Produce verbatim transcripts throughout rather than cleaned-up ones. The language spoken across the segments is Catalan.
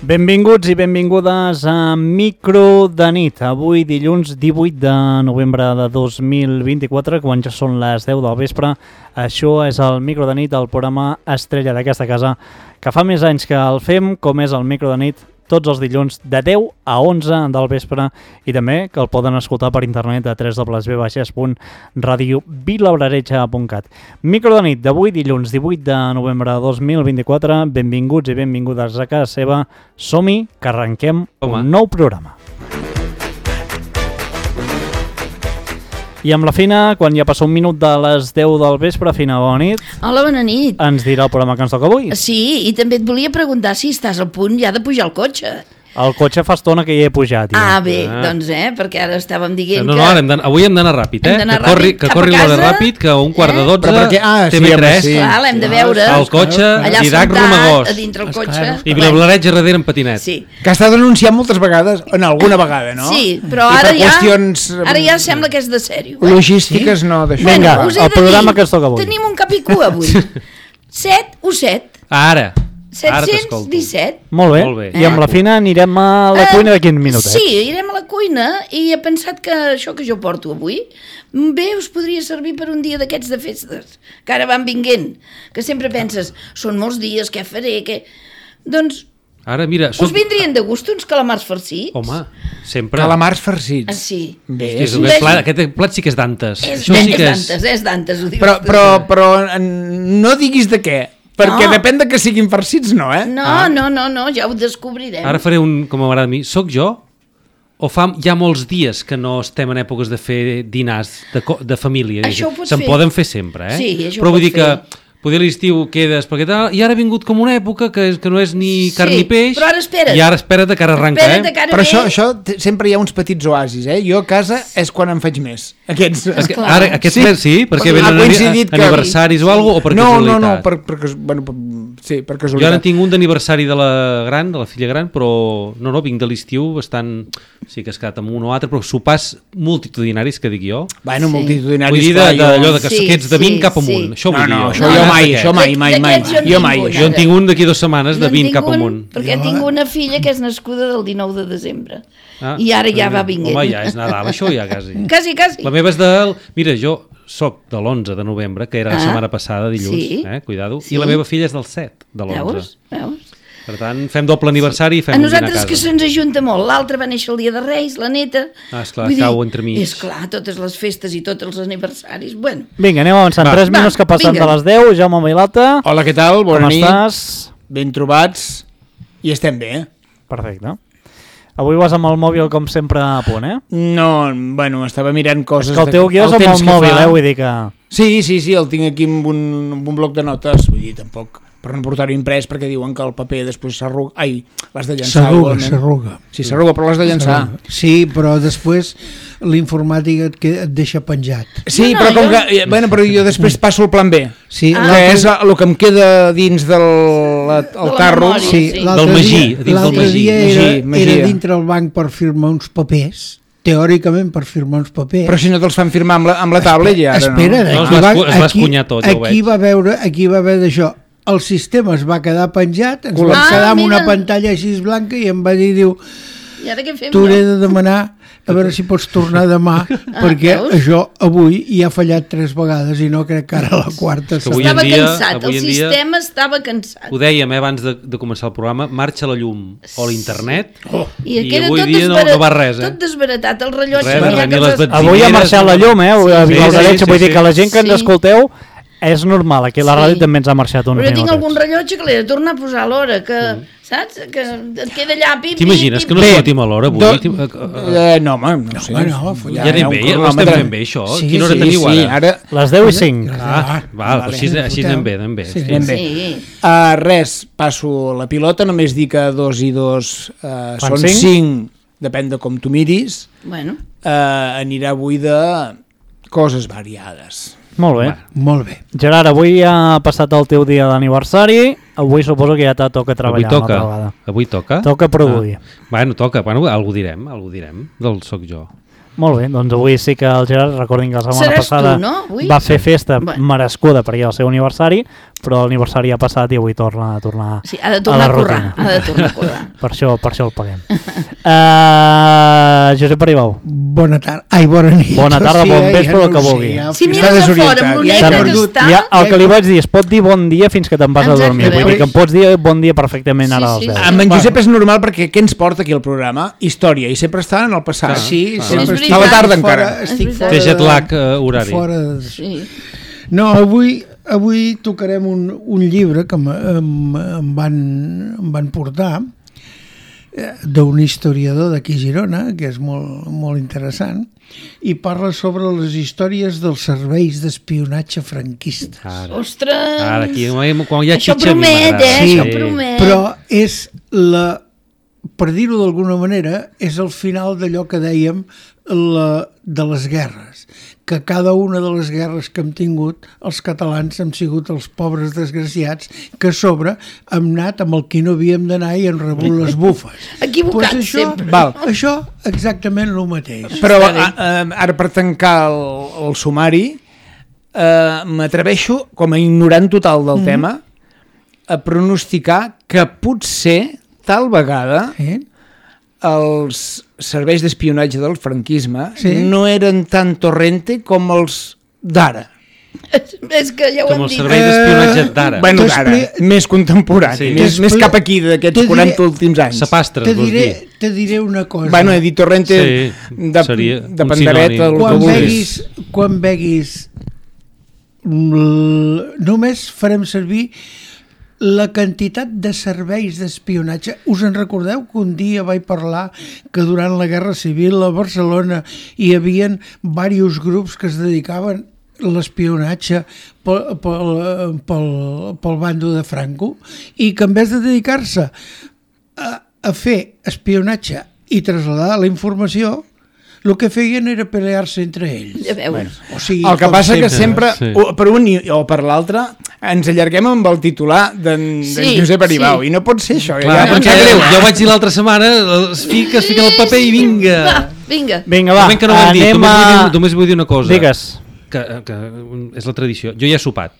Benvinguts i benvingudes a Micro de nit. Avui dilluns divuit de novembre de dos mil vint-i-quatre, quan ja són les deu del vespre. Això és el Micro de nit, el programa estrella d'aquesta casa, que fa més anys que el fem, com és el Micro de nit, tots els dilluns de deu a onze del vespre, i també que el poden escoltar per internet a w w w punt radio vilablaretja punt cat. Micro de nit d'avui, dilluns divuit de novembre de dos mil vint-i-quatre. Benvinguts i benvingudes a casa seva. Som-hi, que arrenquem Home. un nou programa. I amb la Fina, quan ja passa un minut de les deu del vespre, Fina, bona nit. Hola, bona nit. Ens dirà el programa que ens toca avui. Sí, i també et volia preguntar si estàs al punt ja de pujar al cotxe. El cotxe fa estona que hi he pujat. Ja. Ah, bé, ah. doncs, eh, perquè ara estàvem dient no, que... No, no, hem avui hem d'anar ràpid, eh? Hem que corri, que corri l'hora ràpid, que a un quart eh? de dotze, perquè, ah, T V tres, sí, sí. Clar, l'hem de veure. El cotxe, allà Didac sentat, Romagós. a dintre el cotxe. I Vilablaretja darrere en patinet. Sí. Que ha estat denunciat moltes vegades, en alguna vegada, no? Sí, però ara ja, qüestions... ara ja sembla que és de sèrio. Eh? Logístiques, sí? no, d'això. Vinga, bueno, el programa dir, que es toca avui. Tenim un cap i cua avui. set o set. Ara. set-cents disset. Molt bé. Molt bé. I amb la Fina anirem a la cuina d'aquí un minutet. Sí, irem a la cuina i he pensat que això que jo porto avui bé us podria servir per un dia d'aquests de festes, que ara van vinguent, que sempre penses, són molts dies, què faré, què... Doncs ara, mira, us vindrien de gust uns calamars farcits? Home, sempre. Calamars farcits. Ah, sí. Bé, és, és, és plat, aquest plat sí que és d'antes. És, Això sí és que d'antes, és d'antes, ho dius. Però, però, però no diguis de què. Perquè no. depèn de que siguin farcits, no, eh? No, ah. no, no, no, ja ho descobrirem. Ara faré un, com m'agrada a mi, soc jo o fa ja molts dies que no estem en èpoques de fer dinars de, de família? Això ho pots Se'n fer. poden fer sempre, eh? Sí, això però ho vull dir fer. que poder l'estiu quedes perquè tal, i ara ha vingut com una època que, que no és ni carn sí, ni peix, però ara espera't. i ara espera't que ara arranca, espera't eh? Que ara però ve... això, això sempre hi ha uns petits oasis, eh? Jo a casa és quan en faig més. Aquests. Es que, ara, aquests sí, més, sí perquè ha venen coincidit que... aniversaris o alguna cosa, o per no, casualitat? No, no, no, per, per, bueno, per, sí, per casualitat. Jo ara tinc un d'aniversari de la gran, de la filla gran, però no, no, vinc de l'estiu bastant... Sí que has quedat amb un o altre, però sopars multitudinaris, que dic jo. Bueno, sí. multitudinaris, vull dir d'allò de que sí, ets de vint sí, cap amunt. sí. Això vull no, dir no, jo. això no, jo no, mai, això mai, mai, mai. Jo, mai. Jo en tinc un d'aquí dues setmanes de vint cap amunt. Perquè tinc una filla que és nascuda del dinou de desembre. Ah, I ara ja va vinguent. Home, ja és Nadal, això ja quasi. Quasi, quasi. La meva és del... Mira, jo soc de l'onze de novembre, que era la ah, setmana passada, dilluns, sí, eh, cuidado, sí. I la meva filla és del set de l'onze. Veus? Veus? Per tant, fem doble aniversari i fem a un dinar a nosaltres casa. que se'ns ajunta molt. L'altre va néixer el dia de Reis, la neta. Ah, esclar, cau entremig. És clar, totes les festes i tots els aniversaris. Bueno. Vinga, anem avançant. tres minuts que passen vinga. de les deu. Jaume Milata. Hola, què tal? Bona Com nit. estàs? Ben trobats. I estem bé, eh? Perfecte. Avui vas amb el mòbil com sempre a punt, eh? No, bueno, estava mirant coses... És que el teu guió és amb el mòbil, eh? Vull dir que... Sí, sí, sí, el tinc aquí amb un, amb un bloc de notes, vull dir, tampoc per no portar-ho imprès, perquè diuen que el paper després s'arruga... Ai, l'has de llançar. S'arruga, s'arruga. Sí, s'arruga, però l'has de llançar. Sí, però després l'informàtica et, et deixa penjat. Sí, no, no, però com jo... que... Bueno, però jo després passo el plan B. Sí, ah. Que és el que em queda dins del el de tarro. memòria, sí, sí. Del Magí, dia, dins del Magí. dia era, Magí, Magí. era dintre el banc per firmar uns papers, teòricament per firmar uns papers. Però si no te'ls fan firmar amb la, amb la tablet ja ara Espera, no. No, es aquí, va va, escu- es va aquí, escunyar tot, ja ho aquí veig. va veure, aquí va haver d'això. El sistema es va quedar penjat, ens Col·lapsat. vam quedar amb Ah, una mira. pantalla així blanca i em va dir, diu, I ara què fem? t'hauré no? de demanar a veure si pots tornar demà, perquè veus? això avui hi ha fallat tres vegades i no crec que ara la quarta que avui serà. en Estava dia- cansat, avui el en dia- sistema estava cansat. Ho dèiem eh, abans de, de començar el programa, marxa la llum o l'internet Oh. I, i queda avui tot, dia no, desbarat, no va res, eh? tot desbaratat, el rellotge. Res, no hi ha res, ni que les res- benzineres, Avui ha marxat la llum, eh? Sí, A sí, Vilablaretja, sí, vull sí, dir que la gent que ens sí. escolteu és normal. Aquí a la Sí. ràdio també ens ha marxat uns Però jo tinc algun minutets. rellotge que l'he de tornar a posar a l'hora, que, saps? Que et queda allà, pim, pim, T'imagines que no Bé, sortim a l'hora avui? do- T'im- eh, eh, Eh, no, home, no sé. home, no, Ja anem bé, ja ho estem fent bé, això. Sí, Quina hora sí, teniu Sí, ara? ara... Les deu i cinc. Ah, val, Vale. així, així anem bé, anem bé. Sí. Anem bé. Sí. Uh, res, passo la pilota, només dic que dos i dos uh, Fan són cinc? cinc, depèn de com tu miris. Bueno, Uh, anirà avui de coses variades. Molt bé. Molt bé. Gerard, avui ha passat el teu dia d'aniversari. Avui suposo que ja te toca Avui treballar toca, una altra vegada. avui toca. Toca produir. Ah. Bueno, toca, bueno, algú direm, algú direm, del soc jo. Molt bé, doncs avui sí que el Gerard, recordin que la setmana Seràs passada tu, no? Avui? va fer festa Bueno. merescuda perquè era el seu aniversari, però l'aniversari ha passat i avui torna a tornar Sí, ha de a tornar la a currar, rutina. ha de tornar a currar. Per això, per això el paguem. uh, Josep Aribau, Bona tarda. Ai, bona nit. bona tarda, Sí, bon eh, vespre, ja el que no ho vulgui. sé, ja- Si Està mires de fora desorientat. amb Ja l'oneta s'ha que perdut. està... Ja, el que li vaig dir, es pot dir bon dia fins que te'n vas a dormir. Exactament. Vull dir que em pots dir bon dia perfectament ara Sí, als sí, deu. sí. Amb en Josep és normal perquè què ens porta aquí al programa? Història, i sempre està en el passat. Clar. Sí, Ah. sempre És estic veritat. A la tarda fora, encara. Estic És fora Té de- jet lag uh, horari. Fora de... Sí. No, avui, avui tocarem un, un llibre que em, em, em, van, em van portar eh, d'un historiador d'aquí a Girona, que és molt, molt interessant, i parla sobre les històries dels serveis d'espionatge franquistes. Ara, Ostres! ara aquí, quan hi ha Això xitxa, a mi promet, m'agrada. eh? Sí, Això promet. Però és la, per dir-ho d'alguna manera, és el final d'allò que dèiem la, de les guerres, que cada una de les guerres que hem tingut els catalans hem sigut els pobres desgraciats que a sobre hem anat amb el qui no havíem d'anar i hem rebut les bufes. Equivocats Pues això, sempre. Val. Això exactament el mateix. Però Està bé. a, a, ara per tancar el, el sumari eh, m'atreveixo, com a ignorant total del mm. tema, a pronosticar que potser tal vegada Eh? els serveis d'espionatge del franquisme Sí. no eren tan torrente com els d'ara. És que ja ho Com hem el dit. servei d'espionatge d'ara. Bueno, d'ara, T'expli- més contemporani, Sí. més, més cap aquí d'aquests Te diré- quaranta últims anys. Sapastres, Te vols dir? diré, te diré una cosa. Bueno, he dit torrente Sí, de, seria de un pandereta, sinònim. el que quan vulguis. veguis, quan veguis l- només farem servir la quantitat de serveis d'espionatge. Us en recordeu que un dia vaig parlar que durant la Guerra Civil a Barcelona hi havien diversos grups que es dedicaven a l'espionatge pel, pel, pel, pel bando de Franco i que en vez de dedicar-se a, a fer espionatge i traslladar la informació, el que feien era pelear-se entre ells. Ja veus. O sigui, El que com passa que sempre. sempre, Sí. o per un i- o per l'altre, ens allarguem amb el titular d'en Sí, d'en Josep Aribau, sí. i no pot ser això. Clar, ja, em perquè sap greu. jo vaig dir l'altra setmana, es fica, es fica el paper i vinga. Va, vinga. Vinga, va, Moment que no ho hem dit, anem només, vull a... dir, només vull dir una cosa. Digues. Que, que és la tradició. Jo ja he sopat.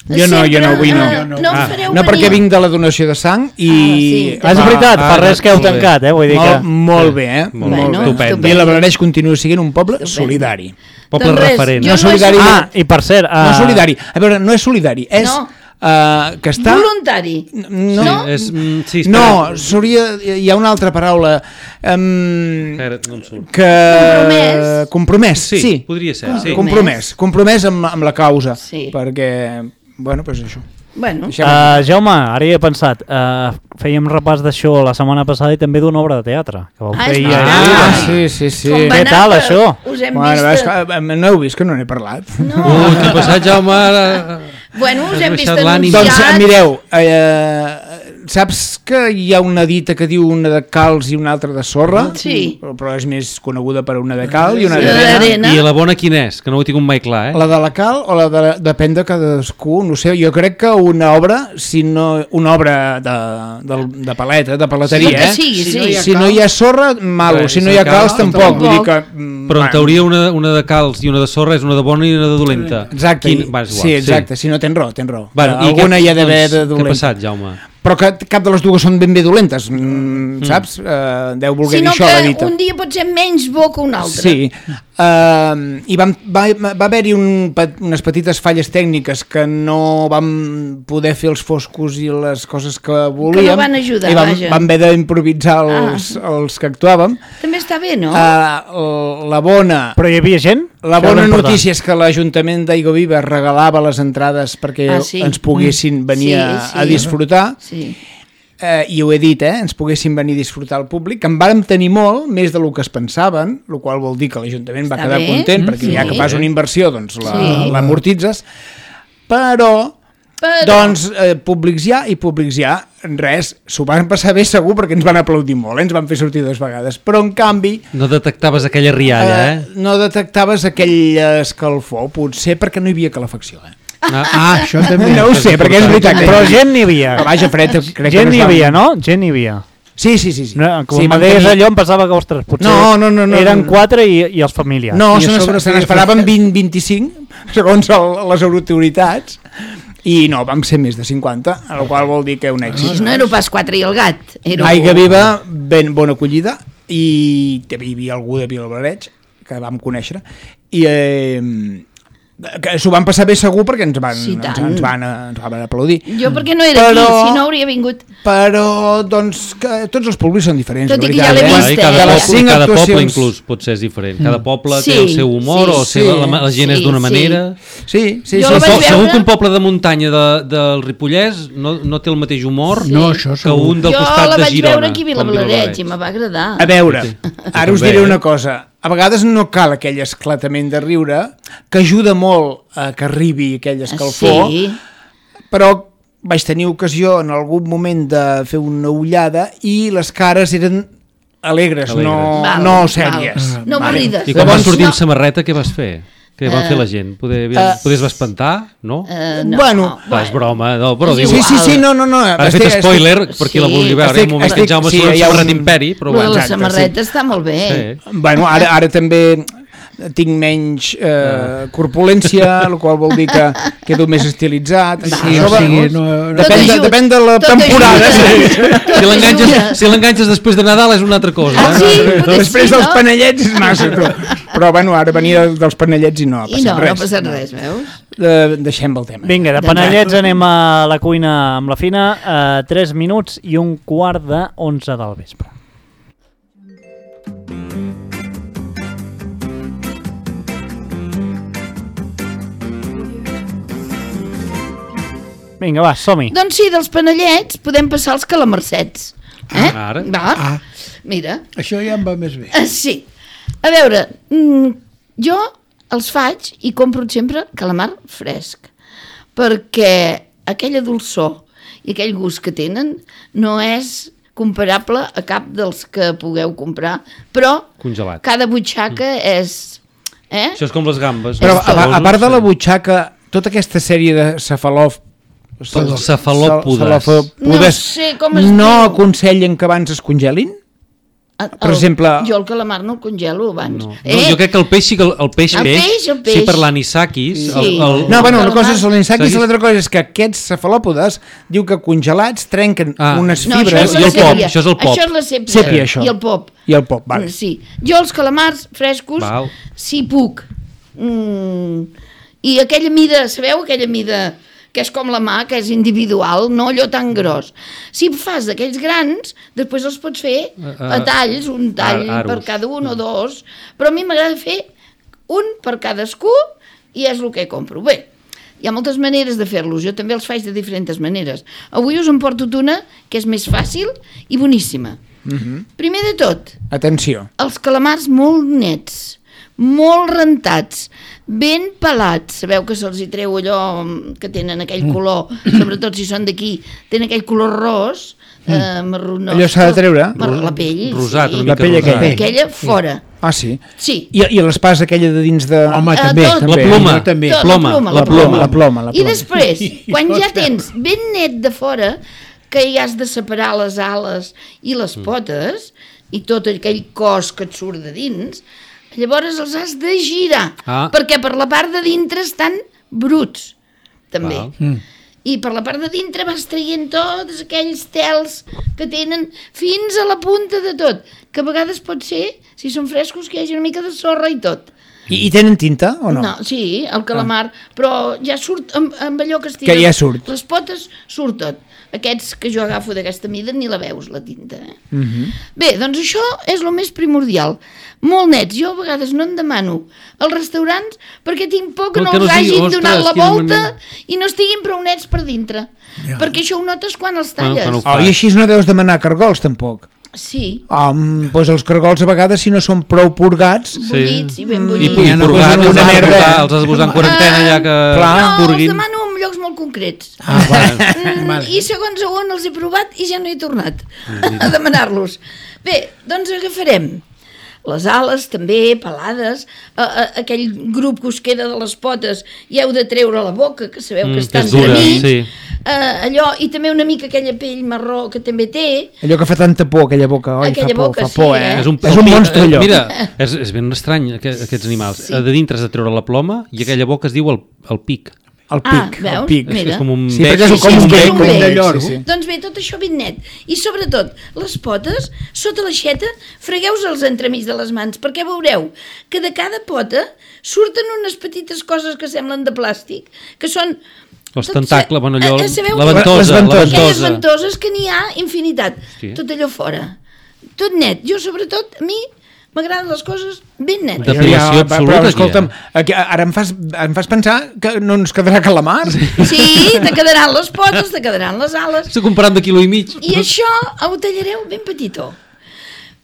Jo no, jo no, avui no. Ah, no em Ah, fareu No, perquè venir. vinc de la donació de sang i... sí. Ah, és Ah, veritat, ah, fa res que heu molt bé. tancat, eh? Vull dir Molt, que... molt bé, eh? Molt bé, molt bé. estupendo. I la Blaneix continua sent un poble Estupendo. solidari. Poble Doncs res, referent. jo No no solidari, he no. Ah, i per cert... No Uh, solidari. A veure, no és solidari, és No. uh, que està... Voluntari. No, Sí, és, mm, sí, espera. no, seria, hi ha una altra paraula um, Espera, no em surt. que... Compromès. Compromès, Sí, sí. podria ser, sí. Compromès, compromès amb, amb la causa. Sí. Perquè, bueno, doncs això. Bueno, Deixem Uh, Jaume, ara hi he pensat, uh, fèiem repàs d'això la setmana passada i també d'una obra de teatre que vau Ah, fer és ahir. veritat. ahir. Ah, sí, sí, sí. com va Què anar, tal, que això? Us hem Bueno, vist... és que, no heu vist que no n'he parlat. No. Ui, què ha passat, Jaume? Ara... Bueno, us Has hem vist baixat l'ànim. anunciats. Doncs mireu, eh, saps que hi ha una dita que diu una de calç i una altra de sorra? Sí. Però, però és més coneguda per una de cal i una Sí, d'arena. d'arena. I la bona quina és? Que no ho he tingut mai clar, eh? La de la cal o la de... Depèn de cadascú, no sé. Jo crec que una obra, si no, una obra de, de, de paleta, de paleteria, Sí, el que eh? sigui, Si sí. no hi ha Si no hi ha sorra, malo. Res, Si no hi ha si no calç, cal, tampoc. Vull dir tampoc. que... mm, Però en bueno. teoria una, una de calç i una de sorra és una de bona i una de dolenta. Exacte, Quin... Va, és igual, sí, exacte. Si no, tens raó, tens raó. Bueno, i Alguna què- hi ha d'haver doncs, de Què ha dolenta. passat, Jaume? Però que cap de les dues són ben bé dolentes, mm, saps? Uh, deu voler Sinó dir això, la que dita. un dia pot ser menys bo que un altre. Sí, uh, i vam, va, va haver-hi un, pe- unes petites falles tècniques que no vam poder fer els foscos i les coses que volíem. van ajudar, i vam, vaja. vam haver d'improvisar els, ah. els que actuàvem. També està bé, no? Uh, la bona... Però hi havia gent? La Això era bona important. notícia és que l'Ajuntament d'Aiguaviva regalava les entrades perquè Ah, sí. ens poguessin venir Sí, a, sí. a disfrutar. Sí. Eh, i ho he dit, eh? Ens poguessin venir a disfrutar al públic, que en vàrem tenir molt, més del que es pensaven, el qual vol dir que l'Ajuntament va Està quedar bé. content, Mm, perquè sí. ja que fas una inversió, doncs la- Sí. l'amortitzes, però, Però... doncs, eh, públics ja i públics ja, res, s'ho van passar bé segur perquè ens van aplaudir molt, eh? Ens van fer sortir dues vegades, però en canvi No detectaves aquella rialla, eh? no detectaves aquell escalfor, potser perquè no hi havia calefacció, eh? Ah, Ah, això també. No ho sé, perquè és veritat. Però gent n'hi havia. Però vaja, Fred, crec que Gent no es n'hi va- havia, no? Gent n'hi havia. Sí, sí, sí. sí. No, com sí, sí, vam me deies tenir- allò em pensava que, ostres, potser No, no, no, no, eren no. quatre i, i els familiars. No, I a se n'es- sobre se feia n'esperaven vint vint-i-cinc, segons el, les autoritats, I no, vam ser més de cinquanta, el qual vol dir que un èxit. No era pas quatre i el gat. Era... Aigua Viva, ben bona acollida, i hi havia algú de Vilablareix, que vam conèixer, i eh, que s'ho van passar bé segur perquè ens van, Sí, ens, ens, van, ens van aplaudir. Jo perquè no era Però- aquí, si no hauria vingut. Però, doncs, que tots els públics són diferents. Tot la i que ja veritat, l'he eh? vist, I cada, eh? De les poble, cinc cada poble actuacions- inclús pot ser diferent. Cada poble Sí, té el seu humor sí, o sí. seva, la, la gent és Sí, d'una sí. manera. Sí, sí, Jo sí. la sí. vaig Segur, segur veure- que un poble de muntanya de, del Ripollès no, no té el mateix humor Sí. No, això que segur. un del Jo costat la de vaig Girona. veure aquí a com Vilablareix i me va agradar. A veure, ara us També, diré eh? una cosa. A vegades no cal aquell esclatament de riure, que ajuda molt a que arribi aquell escalfor, Sí. però vaig tenir ocasió en algun moment de fer una ullada i les cares eren alegres, Alegres. no, Val, no val. sèries. No avorrides. I quan vas Llavors- sortir no. amb samarreta, què vas fer? Què va fer la gent? Poder, Eh, Podies va espantar? No? Eh, no, Bueno, Va, és broma, no, però És diu... Sí, sí, sí, no, no, no. Ara he fet Estic- spoiler, estic- per qui la Sí. vulgui veure. Estic- un moment estic- que Jaume sí, surt amb hi ha samarreta un- imperi, però Lo de bueno. la Exacte, samarreta està molt bé. Sí. Bueno, ara, ara també tinc menys eh, corpulència, el qual vol dir que quedo més estilitzat. Sí, Això o va- sigui, no, no, Depèn, de, ajuda. depèn de la Tot temporada. ajuda. Sí. Tot Si l'enganxes ajuda. si l'enganxes després de Nadal és una altra cosa. Ah, eh? sí? Potser Després sí, dels no? panellets és massa, tu. Però bueno, ara venia dels panellets i no ha I passat no, no res. ha passat res, veus? De, deixem el tema. Vinga, de panellets anem a la cuina amb la Fina, a tres minuts i un quart de onze del vespre. Vinga, va, som-hi. Doncs sí, dels panellets podem passar als calamarsets. Eh? Ah, ara. Va? Ah. Mira. això ja em va més bé. Ah, sí. A veure, mm, jo els faig i compro sempre calamar fresc, perquè aquella dolçor i aquell gust que tenen no és comparable a cap dels que pugueu comprar, però Congelat. cada butxaca és... Eh? Això és com les gambes. Però els a, a tabosos, part de la sí. butxaca, tota aquesta sèrie de cefalòf... Els cefalòpodes. No sé com es no diu. aconsellen que abans es congelin? El- per exemple- Jo el calamar no el congelo abans. No. No, jo crec que el peix sí que el, el peix El peix, peix, el sí peix. per l'anisakis Sí. el, el, No, bueno, el una cosa calamar- és l'anisakis i Seguis? l'altra cosa és que aquests cefalòpodes diu que congelats trenquen Ah. unes No, fibres això és I la el pop, sèpia. això és el pop. Això és la sèpia. Sèpia, això. I el pop. i el pop, vale. Sí. Jo els calamars frescos, Val. si puc. Mm, I aquella mida, sabeu aquella mida que és com la mà, que és individual, no allò tan gros. Si fas d'aquells grans, després els pots fer a talls, un tall Ar- aros. per cada un o dos, però a mi m'agrada fer un per cadascú i és el que compro. Bé, hi ha moltes maneres de fer-los, jo també els faig de diferents maneres. Avui us en porto una que és més fàcil i boníssima. Primer de tot, Atenció. els calamars molt nets, molt rentats, ben pelats. Sabeu que se'ls hi treu allò que tenen aquell color, sobretot si són d'aquí, tenen aquell color ros, eh, marronós. Allò s'ha de treure? Mar la pell, Rosat, sí. una mica La pell rosat. aquella. Aquella fora. Ah, sí? Sí. I, i l'espasa aquella de dins de... Home, Eh, també, tot. també. La ploma. Jo també. Tot, ploma, la ploma, la ploma, la ploma, la I ploma. després, quan ja Hòstia. tens ben net de fora, que hi has de separar les ales i les potes, i tot aquell cos que et surt de dins, llavors els has de girar, Ah. perquè per la part de dintre estan bruts, també. Val. Mm. I per la part de dintre vas traient tots aquells tels que tenen fins a la punta de tot, que a vegades pot ser, si són frescos, que hi hagi una mica de sorra i tot. I, I tenen tinta o no? No, sí, el calamar, però ja surt amb, amb allò que estira. Que ja surt. Les potes surt tot. Aquests que jo agafo d'aquesta mida ni la veus, la tinta. Eh? Uh -huh. Bé, doncs això és el més primordial. Molt nets. Jo a vegades no en demano als restaurants perquè tinc por que No, no, que no els sigui, hagin ostres, donat la quina volta manera. i no estiguin prou nets per dintre. Ja. Perquè això ho notes quan els Quan- talles. quan ho Oh, I així no deus demanar cargols, tampoc. Sí, Um, doncs els cargols a vegades, si no són prou purgats... bullits i ben I, bullits. i Ja no purgats, posen els una has de merda. posar- els has de posar en quarantena ja que Clar. No, els purguin. demano en llocs molt concrets. Ah, vale. Mm, Vale. I segons a on els he provat i ja no he tornat a demanar-los. Bé, doncs agafarem les ales també, pelades, a, a, aquell grup que us queda de les potes i heu de treure la boca, que sabeu Mm, que que està és dura, entremig, sí. eh, allò, i també una mica aquella pell marró que també té. Allò que fa tanta por, aquella boca. Oi, Aquella fa por, boca, fa sí, por, eh? eh? És un, és un monstre, allò. Mira, és, és ben estrany aquest, aquests animals. Sí. De dintre has de treure la ploma i aquella boca es diu el, el pic. El Ah, pic, veus? el pic. Mira. És com un Sí, bec. perquè és Sí, com sí, un és bec, un com un bec, lloro. sí, sí. Doncs bé, tot això ben net. I sobretot, les potes, sota l'aixeta, fregueu-se'ls entremig de les mans, perquè veureu que de cada pota surten unes petites coses que semblen de plàstic, que són... Els tot tentacles, se- bueno, allò, eh, sabeu la que- ventosa, Les la ventoses. Aquelles ventosa. ventoses que n'hi ha infinitat. Hòstia. Tot allò fora. Tot net. Jo, sobretot, a mi m'agraden les coses ben netes. De- Depilació però, absoluta, aquí, escolta'm, eh? aquí, ara em fas, em fas pensar que no ens quedarà calamars. Sí, te quedaran les potes, te quedaran les ales. Estic comprant de quilo i mig. I això ho tallareu ben petitó.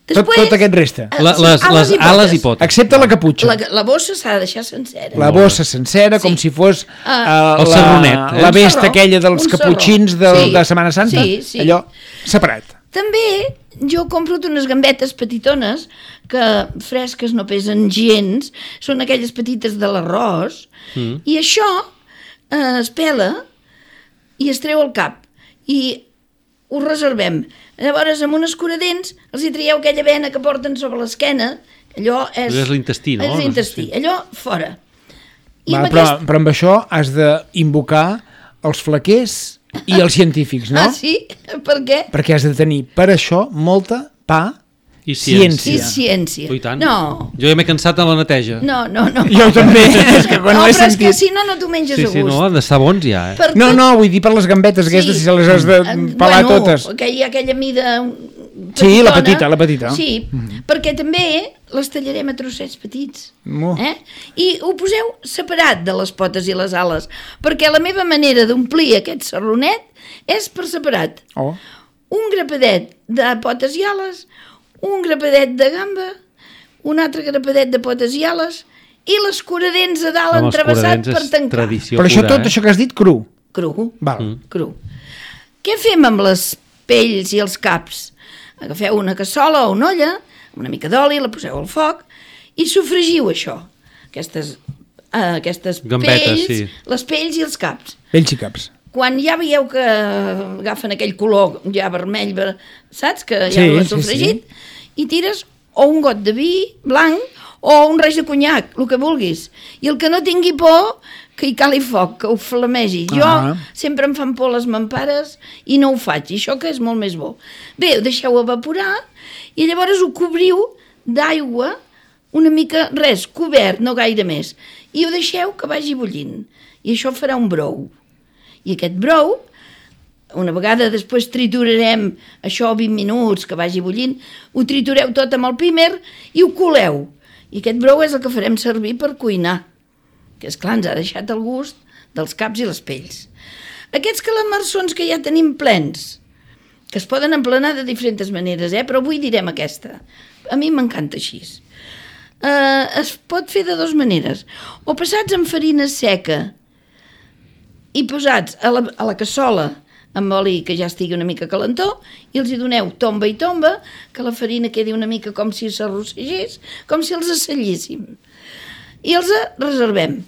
Tot, tot aquest resta. eh, La, les, les ales i potes. Excepte la caputxa. La, la bossa s'ha de deixar sencera. La bossa sencera, com Sí. si fos Ah. uh, El la, sarronet, eh? la Un vesta sarró, aquella dels un sarró. caputxins de, Sí. de Setmana Santa. Sí, sí. Allò separat. També jo compro unes gambetes petitones que fresques no pesen gens, són aquelles petites de l'arròs, mm. i això eh, es pela i es treu al cap i ho reservem. Llavors, amb un escuradents, els hi traieu aquella vena que porten sobre l'esquena, allò és... És l'intestí, no? És l'intestí, allò fora. I Va, amb però, aquest... però amb això has d'invocar els flaquers i els científics, no? Ah, sí? Per què? Perquè has de tenir per això molta pa I ciència. I ciència. Oh, i tant. No, Jo ja m'he cansat en la neteja. no, no. no. Jo també, és que quan no, ho he però és que sentit... si no, no t'ho menges Sí, a gust. sí, no, han d'estar bons ja, eh? Per No, tot- no, vull dir per les gambetes aquestes, si se les has de Eh, pelar bueno, totes. Aquella, aquella mida Sí, la petitona. petita, la petita. Sí, perquè també les tallarem a trossets petits. Mu. Eh? I ho poseu separat de les potes i les ales, perquè la meva manera d'omplir aquest sarronet és per separat. Oh. Un grapadet de potes i ales, un grapadet de gamba, un altre grapadet de potes i ales i l'escuradents a dalt Home, els entrevessat curadents per és tancar. tradició Però això pura, tot, eh? això que has dit, cru. Cru. Val. Mm. Cru. Què fem amb les pells i els caps? Agafeu una cassola o una olla, amb una mica d'oli, la poseu al foc i sofregiu això, aquestes, uh, aquestes Gambetes, pells, sí. les pells i els caps. Pells i caps. Quan ja veieu que agafen aquell color ja vermell, ver- saps? Que ja Sí, ho has sí, sofregit, i tires o un got de vi blanc o un raig de conyac, el que vulguis. I el que no tingui por, que hi cali foc, que ho flamegi. Jo Ah. sempre em fan por les mampares i no ho faig, i això que és molt més bo. Bé, ho deixeu evaporar i llavors ho cobriu d'aigua una mica, res, cobert, no gaire més. I ho deixeu que vagi bullint. I això farà un brou. I aquest brou, una vegada després triturarem això vint minuts, que vagi bullint, ho tritureu tot amb el pímer i ho coleu. I aquest brou és el que farem servir per cuinar, que és clar, ens ha deixat el gust dels caps i les pells. Aquests calamarsons que ja tenim plens, que es poden emplenar de diferents maneres, eh? Però avui direm aquesta. A mi m'encanta així. Uh, es pot fer de dues maneres. O passats en farina seca i posats a la, a la cassola amb oli que ja estigui una mica calentó i els hi doneu tomba i tomba, que la farina quedi una mica com si s'arrossegés, com si els assallíssim. I els reservem.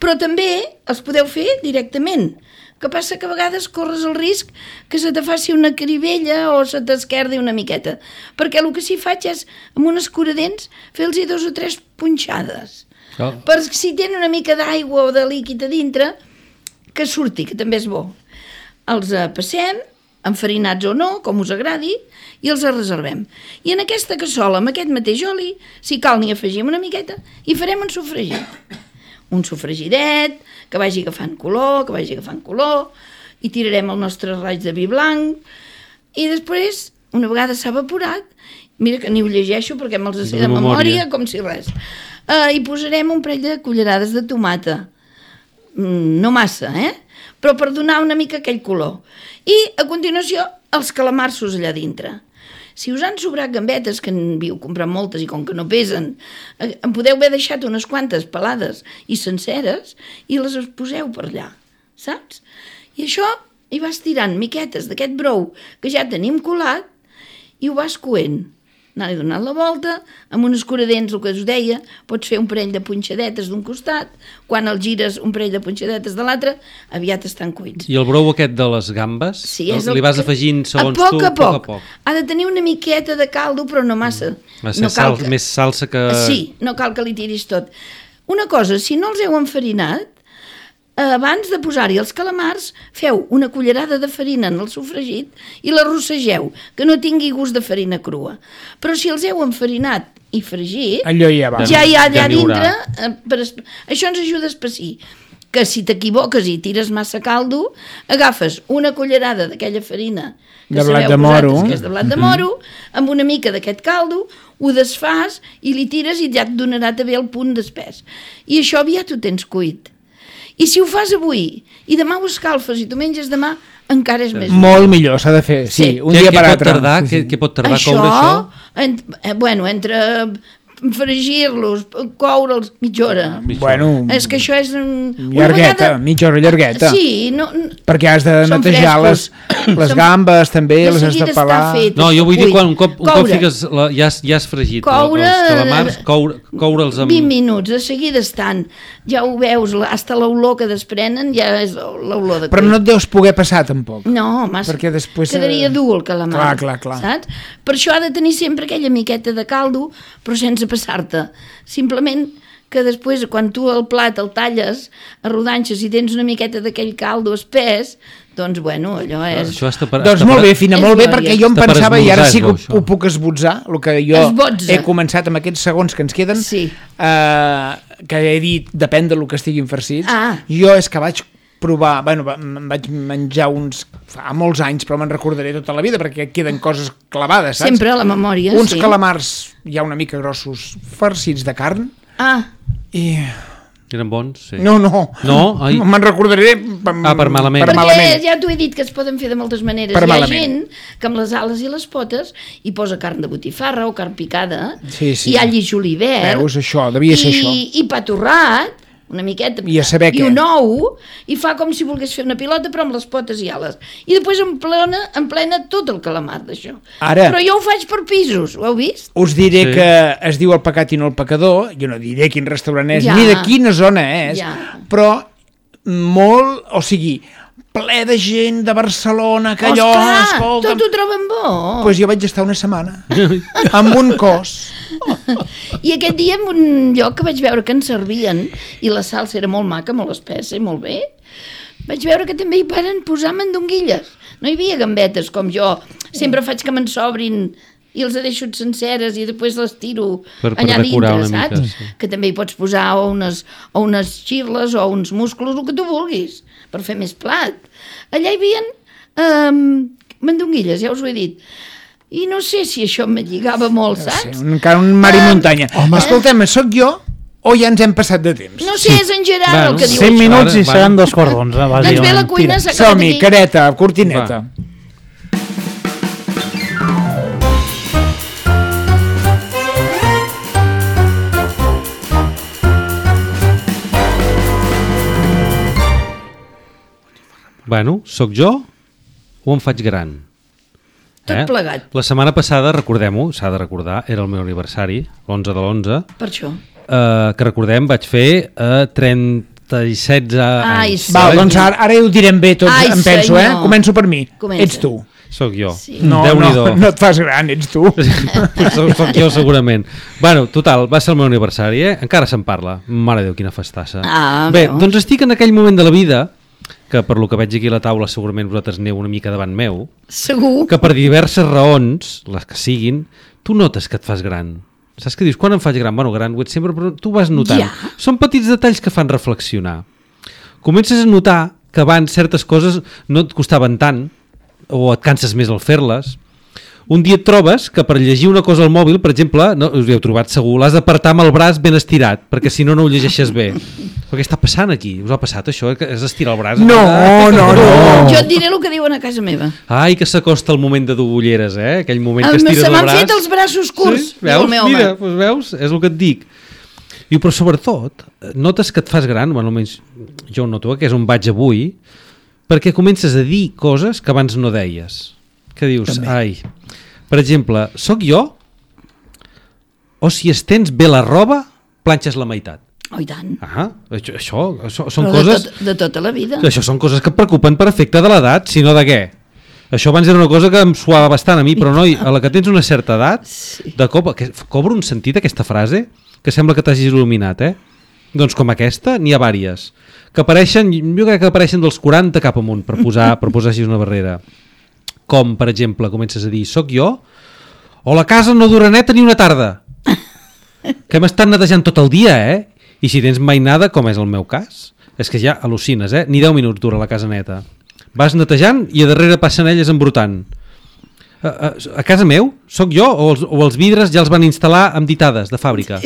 Però també els podeu fer directament. Que passa que a vegades corres el risc que se te faci una cribella o se t'esquerdi una miqueta. Perquè el que sí faig és, amb un escuradents, fer-los dos o tres punxades. Oh. Per si tenen una mica d'aigua o de líquid a dintre, que surti, que també és bo. Els eh, passem, enfarinats o no, com us agradi, i els reservem. I en aquesta cassola, amb aquest mateix oli, si cal n'hi afegim una miqueta, i farem un sofregit. Un sofregidet, que vagi agafant color, que vagi agafant color, i tirarem el nostre raig de vi blanc, i després, una vegada s'ha evaporat, mira que ni ho llegeixo perquè me'ls sé de, de memòria, com si res, uh, hi posarem un parell de cullerades de tomata, mm, no massa, eh? Però per donar una mica aquell color. I, a continuació, els calamarsos allà dintre. Si us han sobrat gambetes, que en viu comprar moltes i com que no pesen, en podeu haver deixat unes quantes pelades i senceres i les poseu per allà, saps? I això hi vas tirant miquetes d'aquest brou que ja tenim colat i ho vas coent. Anar-hi donant la volta, amb un escuradents, el que us deia, pots fer un parell de punxadetes d'un costat, quan el gires un parell de punxadetes de l'altre, aviat estan cuits. I el brou aquest de les gambes, Sí, és el li vas que- afegint segons a poc, tu, a poc, poc a poc. Ha de tenir una miqueta de caldo, però no massa. Va ser no cal sal, que... més salsa que... Sí, no cal que li tiris tot. Una cosa, si no els heu enfarinat, abans de posar-hi els calamars, feu una cullerada de farina en el sofregit i la rossegeu, que no tingui gust de farina crua. Però si els heu enfarinat i fregit, allò ja va. ja hi ha allà Ja n'hi haurà. dintre, eh, per es... això ens ajuda a espessir. Que si t'equivoques i tires massa caldo, agafes una cullerada d'aquella farina que De blat sabeu de moro. vosaltres que és de blat de moro, amb una mica d'aquest caldo, ho desfas i li tires i ja et donarà també el punt d'espès. I això aviat ho tens cuit. I si ho fas avui i demà ho escalfes i tu menges demà, encara és més Molt millor, s'ha de fer, sí, Sí. un Què, dia què per pot altre. tardar? Sí, sí. Què, què pot tardar coure això? En, eh, bueno, entre fregir-los, coure'ls, mitja hora. Bueno, És que això és... Un, llargueta, mitja hora llargueta. Sí, no, no, perquè has de són netejar les, frescos. les Són- gambes també, de les has de seguida està pelar. fet. No, jo vull dir Cuit. quan un cop, un cop Coure. fiques la, ja, has, ja has fregit Coure- els calamars, coure, coure'ls amb... vint minuts, de seguida estan. Ja ho veus, la- hasta l'olor que desprenen ja és l'olor de Però cuit. no et deus poder passar tampoc. No, massa. Perquè després, quedaria eh, dur el calamar. clar, clar, clar. Saps? Per això ha de tenir sempre aquella miqueta de caldo, però sense passar-te. Simplement que després, quan tu el plat el talles a rodanxes i tens una miqueta d'aquell caldo espès, doncs, bueno, allò és... Això està per, Doncs està molt per- bé, Fina, És molt bé, glòria. perquè jo em Està per pensava, i ara esmorzar, sí que és bo, ho, això. ho puc esbotzar, el que jo Esbotza. he començat amb aquests segons que ens queden, Sí. eh, que he dit, depèn del que estiguin farcits. Ah. Jo és que vaig provar, bueno, va- em vaig menjar uns fa molts anys, però me'n recordaré tota la vida, perquè queden coses clavades, saps? Sempre a la memòria, Uns sí. calamars ja una mica grossos, farcits de carn, Ah, i... Eren bons, sí. No, no. No? Ai. Me'n recordaré per, Ah, per malament. Per perquè malament. ja t'ho he dit que es poden fer de moltes maneres. Per Hi ha malament. gent que amb les ales i les potes hi posa carn de botifarra o carn picada, Sí, sí. i all i julivert, Veus, això, devia ser i, això. i pa torrat, una miqueta, I a saber i què. un ou, i fa com si volgués fer una pilota però amb les potes i ales. I després en plena, en plena tot el calamar d'això. Ara- Però jo ho faig per pisos, ho heu vist? Us diré Sí. que es diu El pecat i no el pecador, jo no diré quin restaurant és, Ja. ni de quina zona és, Ja. però molt, o sigui, ple de gent de Barcelona, que allò, Osclar, escolta... tot ho troben bo. Pues jo vaig estar una setmana, amb un cos. I aquest dia en un lloc que vaig veure que ens servien i la salsa era molt maca, molt espessa i molt bé, vaig veure que també hi paren posar mandonguilles. No hi havia gambetes com jo. Sempre faig que me'n sobrin i els he deixat senceres i després les tiro Per- per allà decorar dintre, una mica, saps? sí. Que també hi pots posar o unes, o unes xirles o uns musclos, el que tu vulguis, per fer més plat. Allà hi havia um, mandonguilles, ja us ho he dit. I no sé si això me lligava molt, Sí, saps? encara un mar i Ah, muntanya. home. Escoltem, sóc jo o ja ens hem passat de temps? No sé, és en Gerard Bueno, el que diu cinc això. minuts i Ara, seran va. dos quarts d'onze, Doncs ve la bàsicament. cuina, s'ha acabat Som-hi, aquí. careta, cortineta. Va. Bueno, sóc jo o em faig gran? Tot plegat. La setmana passada, recordem-ho, s'ha de recordar, era el meu aniversari, l'onze de l'onze, Per això. eh, que recordem vaig fer eh, trenta-set Ai, anys. sí. Val, doncs ara, ara ho direm bé tots, Ai, em penso, eh? senyor. Començo per mi. Comença. Ets tu. Soc jo. Sí. No, no, Déu-n'hi-do. no et fas gran, ets tu. Pues soc, soc jo segurament. Bueno, total, va ser el meu aniversari, eh? Encara se'n parla. Mare de Déu, quina festassa. Ah, Bé, veus? doncs estic en aquell moment de la vida, que per lo que veig aquí a la taula segurament vosaltres aneu una mica davant meu, Segur. que per diverses raons, les que siguin, tu notes que et fas gran. Saps què dius? Quan em faig gran? Bueno, gran ho ets sempre, però tu vas notant. Ja. Són petits detalls que fan reflexionar. Comences a notar que abans certes coses no et costaven tant, o et canses més al fer-les. Un dia et trobes que per llegir una cosa al mòbil, per exemple, no, us hi heu trobat segur, l'has d'apartar amb el braç ben estirat, perquè si no, no ho llegeixes bé. Però què està passant aquí? Us ha passat això? Eh? Que has d'estirar el braç? No, no, no. Jo et diré el que diuen a casa meva. Ai, que s'acosta el moment de dur ulleres, eh? Aquell moment que Em- estires Se el m'han braç. fet els braços curts, Sí? diu Veus? el meu home. Mira, doncs veus? És el que et dic. I però sobretot, notes que et fas gran, bueno, almenys jo ho noto, que és on vaig avui, perquè comences a dir coses que abans no deies. Que dius, També. ai, per exemple, sóc jo o si estens bé la roba, planxes la meitat. Oh, i tant. Ah, això, això, això són Però coses... de, tot, de tota la vida. Això són coses que et preocupen per efecte de l'edat, si no de què? Això abans era una cosa que em suava bastant a mi, però noi, a la que tens una certa edat, Sí. de cop, que, cobra un sentit aquesta frase, que sembla que t'hagis il·luminat, eh? Doncs com aquesta, n'hi ha vàries, que apareixen, jo crec que apareixen dels quaranta cap amunt, per posar, per posar així una barrera. Com, per exemple, comences a dir, soc jo, o la casa no dura neta ni una tarda, que hem estat netejant tot el dia, eh? I si tens mainada, com és el meu cas, és que ja al·lucines, eh? Ni deu minuts dura la casa neta. Vas netejant i a darrere passen elles embrutant. A, a, a casa meu, sóc jo o els, o els vidres ja els van instal·lar amb ditades de fàbrica?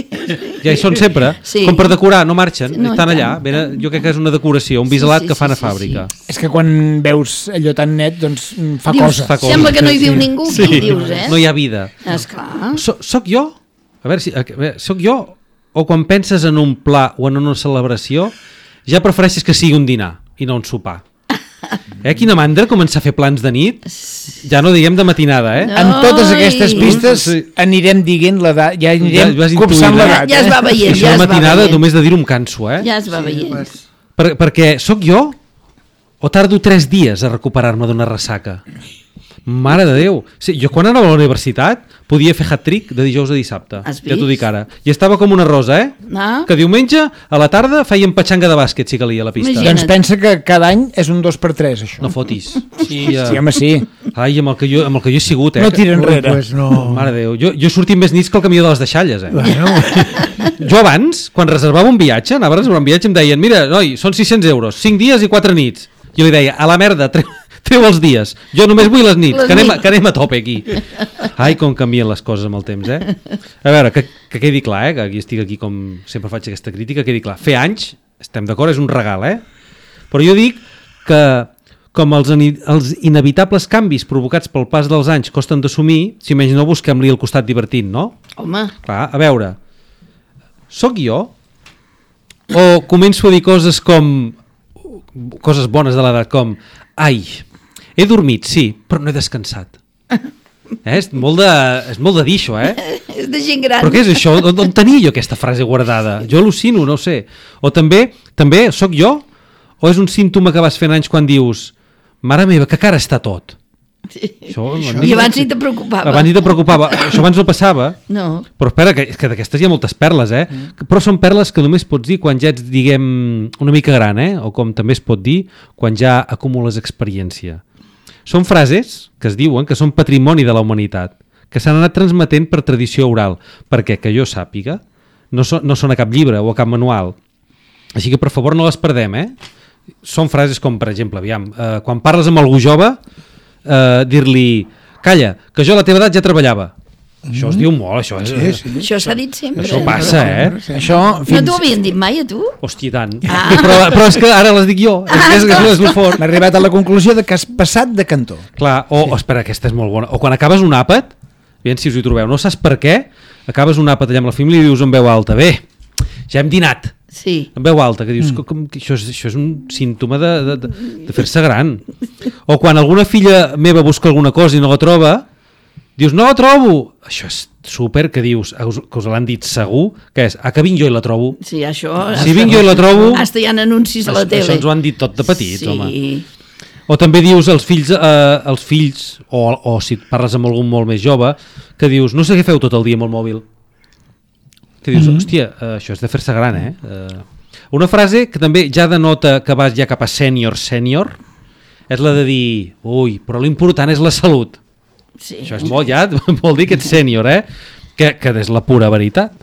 Ja hi són sempre, Sí. com per decorar, no marxen, No, estan i allà. tant. Venen, jo crec que és una decoració, un biselat Sí, sí, que fan sí, a sí, fàbrica. És que quan veus allò tan net, doncs mm, fa Dius, cosa. Fa cosa. sembla que no hi viu Sí. ningú, Sí. aquí, dius, eh? No hi ha vida. Esclar. So, soc jo? A veure, si, a veure, soc jo? O quan penses en un pla o en una celebració, ja prefereixes que sigui un dinar i no un sopar. Eh, quina mandra començar a fer plans de nit, ja no diguem de matinada, eh? No. Amb totes aquestes Ai. pistes Sí. anirem dient l'edat, ja anirem Ja vas copsant intuint, eh? l'edat. Ja es va eh? veient, Això ja de es va matinada veient. només de dir-ho em canso, eh? Ja es va veient. Per, perquè sóc jo o tardo tres dies a recuperar-me d'una ressaca? Mare de Déu. Sí, jo quan anava a la universitat podia fer hat-trick de dijous a dissabte. Has Ja t'ho vist? dic ara. I estava com una rosa, eh? Ah. Que diumenge a la tarda fèiem petxanga de bàsquet, si calia, a la pista. Imagina't. Doncs pensa que cada any és un dos per tres, això. No fotis. Sí, sí, home, sí. Ai, amb el que jo, amb el que jo he sigut, eh? No tira enrere. Pues no. Mare de Déu. Jo, jo he sortit més nits que el camió de les deixalles, eh? Bueno, Jo abans, quan reservava un viatge, anava a reservar un viatge, em deien, mira, noi, són sis-cents euros, cinc dies i quatre nits. Jo li deia, a la merda, treu, treu els dies. Jo només vull les nits, Les que anem, a, nits. que anem a tope aquí. Ai, com canvien les coses amb el temps, eh? A veure, que, que quedi clar, eh? Que aquí estic aquí com sempre faig aquesta crítica, quedi clar. Fer anys, estem d'acord, és un regal, eh? Però jo dic que com els, els inevitables canvis provocats pel pas dels anys costen d'assumir, si menys no busquem-li el costat divertint, no? Home, Clar, a veure, sóc jo? O començo a dir coses com coses bones de l'edat, com ai, he dormit, sí, però no he descansat. Eh? És, molt de, és molt de dir això, eh? és de gent gran. Però què és això? On, on tenia jo aquesta frase guardada? Jo al·lucino, no ho sé. O també, també, sóc jo? O és un símptoma que vas fent anys quan dius mare meva, que cara està tot? Sí. Això, I abans ni te preocupava. Abans ni te preocupava. Això abans no passava. No. Però espera, que, que d'aquestes hi ha moltes perles, eh? Mm. Però són perles que només pots dir quan ja ets, diguem, una mica gran, eh? O com també es pot dir quan ja acumules experiència. Són frases que es diuen que són patrimoni de la humanitat, que s'han anat transmetent per tradició oral, perquè, que jo sàpiga, no, so, no són a cap llibre o a cap manual. Així que, per favor, no les perdem, eh? Són frases com, per exemple, aviam, eh, quan parles amb algú jove, eh, dir-li, calla, que jo a la teva edat ja treballava. Mm. Això es diu molt, això és... sí, sí. Això s'ha dit sempre. Això passa, eh? Això, No fins... t'ho havien dit mai, a tu? Hòstia, tant. Ah. Però, però és que ara les dic jo. És, que és, és, és el fort. M'he arribat a la conclusió de que has passat de cantó. Clar, o, sí. espera, aquesta és molt bona. O quan acabes un àpat, aviam si us hi trobeu, no saps per què, acabes un àpat allà amb la família i dius en veu alta, bé, ja hem dinat. Sí. En veu alta, que dius, mm. com, que això, és, això és un símptoma de, de, de, de fer-se gran. O quan alguna filla meva busca alguna cosa i no la troba, dius, no la trobo. Això és súper, que dius, que us l'han dit segur, que és, ah, que vinc jo i la trobo. Sí, això... Si vinc jo i la trobo... Hasta hi ha anuncis a la Això, tele. això ens ho han dit tot de petits, sí. home. O també dius als fills, eh, als fills o, o si parles amb algun molt més jove, que dius, no sé què feu tot el dia amb el mòbil. Que dius, mm-hmm. hòstia, eh, això és de fer-se gran, eh? eh? Una frase que també ja denota que vas ja cap a sènior, sènior, és la de dir, ui, però l'important és la salut. Sí. Això és molt, ja vol dir que ets sènior, eh? Que, que és la pura veritat.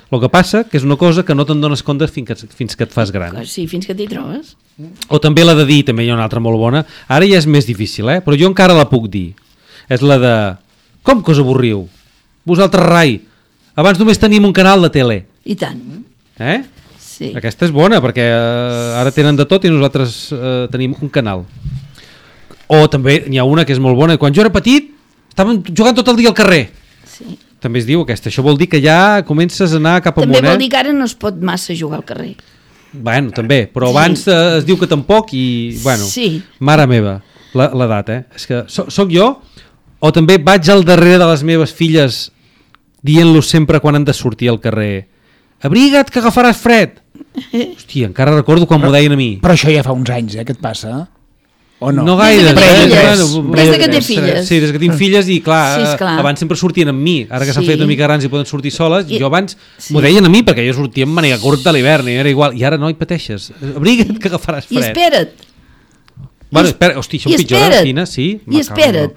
El que passa que és una cosa que no te'n dones compte fins que, fins que et fas gran. Sí, fins que t'hi trobes. O també la de dir, també hi ha una altra molt bona, ara ja és més difícil, eh? Però jo encara la puc dir. És la de, com que us avorriu? Vosaltres rai, abans només tenim un canal de tele. I tant. Eh? Sí. Aquesta és bona, perquè eh, ara tenen de tot i nosaltres eh, tenim un canal. O també n'hi ha una que és molt bona, quan jo era petit estàvem jugant tot el dia al carrer. Sí. També es diu aquesta. Això vol dir que ja comences a anar cap amunt, També vol eh? dir que ara no es pot massa jugar al carrer. Bueno, també, però Sí. abans eh, es diu que tampoc i, bueno, Sí. mare meva, la- l'edat, eh? És que so, soc jo, o també vaig al darrere de les meves filles dient-los sempre quan han de sortir al carrer, abriga't que agafaràs fred. Hòstia, encara recordo quan m'ho deien a mi. Però això ja fa uns anys, eh, que et passa. O no? No gaire. Des de que té filles. Bueno, Des de que té ostres, filles. Sí, des que tinc filles i clar, Sí, esclar. abans sempre sortien amb mi, ara que s'han Sí. fet una mica grans i poden sortir soles, I- jo abans sí. m'ho deien a mi perquè jo sortia amb màniga curta a l'hivern i era igual, i ara no hi pateixes, abriga't que agafaràs I fred. espera't. Bueno, I- espera, hosti, això i em pitjora, espera't. Fina, sí? I espera't.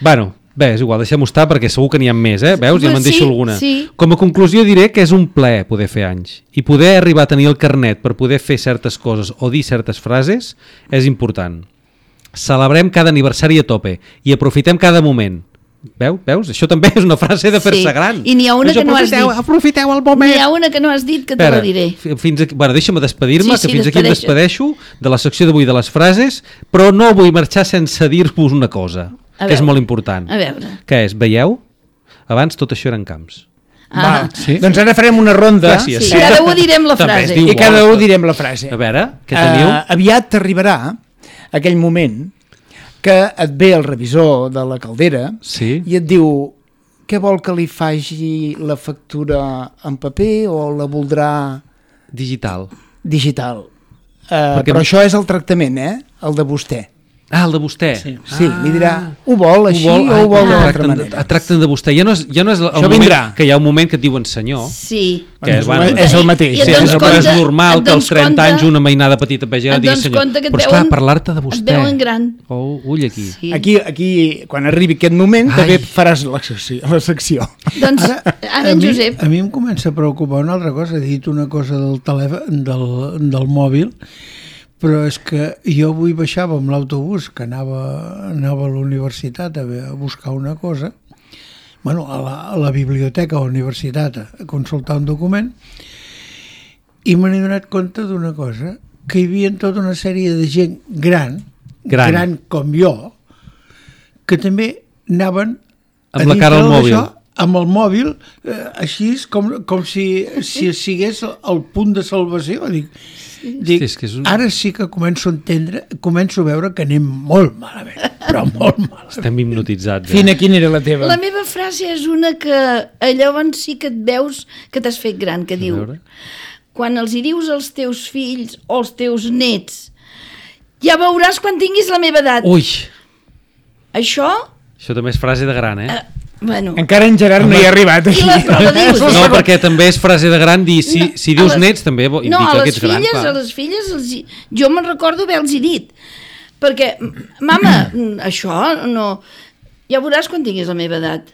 Bueno, bé, és igual, deixem-ho estar perquè segur que n'hi ha més, eh? Veus? Ja Pues me'n deixo sí, alguna. sí. Com a conclusió diré que és un plaer poder fer anys i poder arribar a tenir el carnet per poder fer certes coses o dir certes frases és important. Celebrem cada aniversari a tope i aprofitem cada moment. Veu? Veus? Això també és una frase de fer-se Sí. gran. I n'hi ha una Això, que no has aprofiteu, dit. Aprofiteu el moment. N'hi ha una que no has dit que te Espera, la diré. fi- fins aquí, bueno, deixa'm despedir-me, Sí, sí, que fins aquí em despedeixa't. despedeixo de la secció d'avui de les frases, però no vull marxar sense dir-vos una cosa, A que és veure, molt important. a veure. Què és? Veieu? Abans tot això eren camps. Ah, Va, sí. Doncs ara farem una ronda Gràcies. sí, cada un direm la També es frase. diu i cada molt. un direm la frase. A veure, què teniu? Uh, aviat arribarà aquell moment que et ve el revisor de la caldera Sí. i et diu què vol que li faci la factura en paper o la voldrà Digital. digital. Uh, Perquè- Però això és el tractament, eh? El de vostè. Ah, el de vostè. Sí, sí li dirà, ho vol així Ho vol, o ho vol ai, d'una altra tracten, manera. et tracten de vostè. Ja no és, ja no és el Això moment vindrà. que hi ha un moment que et diuen senyor, Sí. que és, bueno, és el mateix. I et sí, dones és, compte- és normal et que als dones trenta compte- anys una mainada petita vegi et digui dones senyor. compte que et Però esclar, veuen- parlar-te de et vostè. veuen gran. Oh, ull aquí. Sí. Aquí, aquí, quan arribi aquest moment, Ai. també faràs la secció. La secció. Doncs ara en a mi, Josep... a mi em comença a preocupar una altra cosa. He dit una cosa del telèfon, del, del mòbil, però és que jo avui baixava amb l'autobús que anava, anava a la universitat a, a buscar una cosa, bueno, a la, a la biblioteca o a la universitat a consultar un document, i me n'he donat compte d'una cosa, que hi havia tota una sèrie de gent gran, Gran. gran com jo, que també anaven Amb a la cara al dintre mòbil. d'això, amb el mòbil, eh, així com, com si, si sigués el punt de salvació. Dic, dic Hosti, és que és un- ara sí que començo a entendre, començo a veure que anem molt malament, però molt malament. Estem hipnotitzats. Eh? Fina, quina era la teva? La meva frase és una que llavors sí que et veus que t'has fet gran, que diu: veure. quan els hi dius als teus fills o als teus nets, ja veuràs quan tinguis la meva edat. Ui, Això, això també és frase de gran, eh? eh, bueno... Encara en Gerard no hi ha arribat. I la, però la dius, No, perquè també és frase de gran dir, si, No, si a dius les- nets també vo- no, indica a que les ets gran. filles, clar. a les filles, els, hi- jo me'n recordo haver-los dit, perquè, mama, això no... Ja veuràs quan tinguis la meva edat.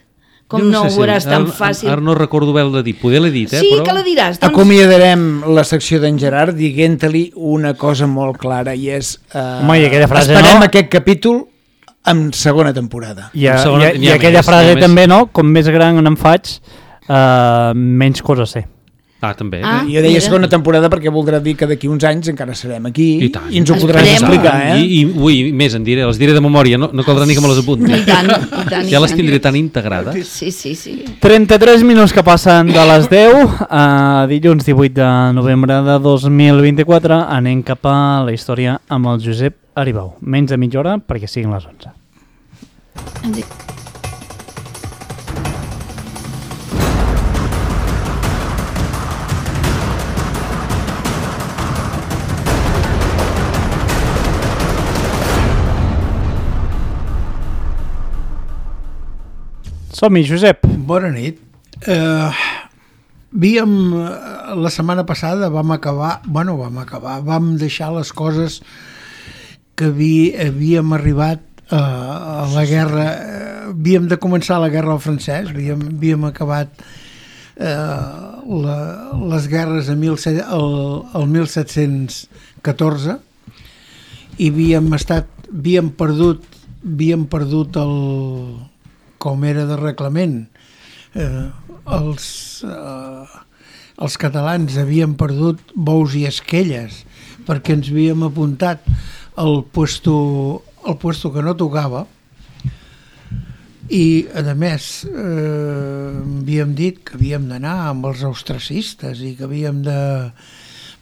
Com Jo no, ho sé si- veuràs tan ara- fàcil. Ara no recordo haver-la dit, poder l'he dit, eh? Sí, però... que la diràs. Doncs, Acomiadarem la secció d'en Gerard dient-li una cosa molt clara i és... Uh, Home, i aquella frase, esperem no? aquest capítol en segona temporada. I, a, Segona- i, n'hi i ha aquella més, frase n'hi ha més. també, no? Com més gran em faig, uh, menys coses sé. Ah, també. Ah. Jo deia mira. segona temporada perquè voldrà dir que d'aquí uns anys encara serem aquí I tant. i ens ho podràs Esperem. explicar, eh? I, i, ui, més en diré, les diré de memòria, no, no caldrà ni que me les apunti. I tant, i tant, i Ja les tant. tindré tan integrades. Sí, sí, sí. trenta-tres minuts que passen de les deu, uh, dilluns divuit de novembre de dos mil vint-i-quatre, anem cap a la història amb el Josep Aribau. Menys de mitja hora perquè siguin les onze. Em dic- Som-hi, Josep. Bona nit. Eh, havíem, eh, la setmana passada vam acabar, bueno, vam acabar, vam deixar les coses que haví, havíem arribat eh, a la guerra, eh, havíem de començar la guerra al francès, havíem, havíem acabat eh, la, les guerres a mil set, el, el mil set-cents catorze i havíem estat, havíem perdut, havíem perdut el, com era de reglament, eh, els, eh, els catalans havien perdut bous i esquelles perquè ens havíem apuntat al puesto, al puesto que no tocava i a més eh, havíem dit que havíem d'anar amb els austracistes i que havíem de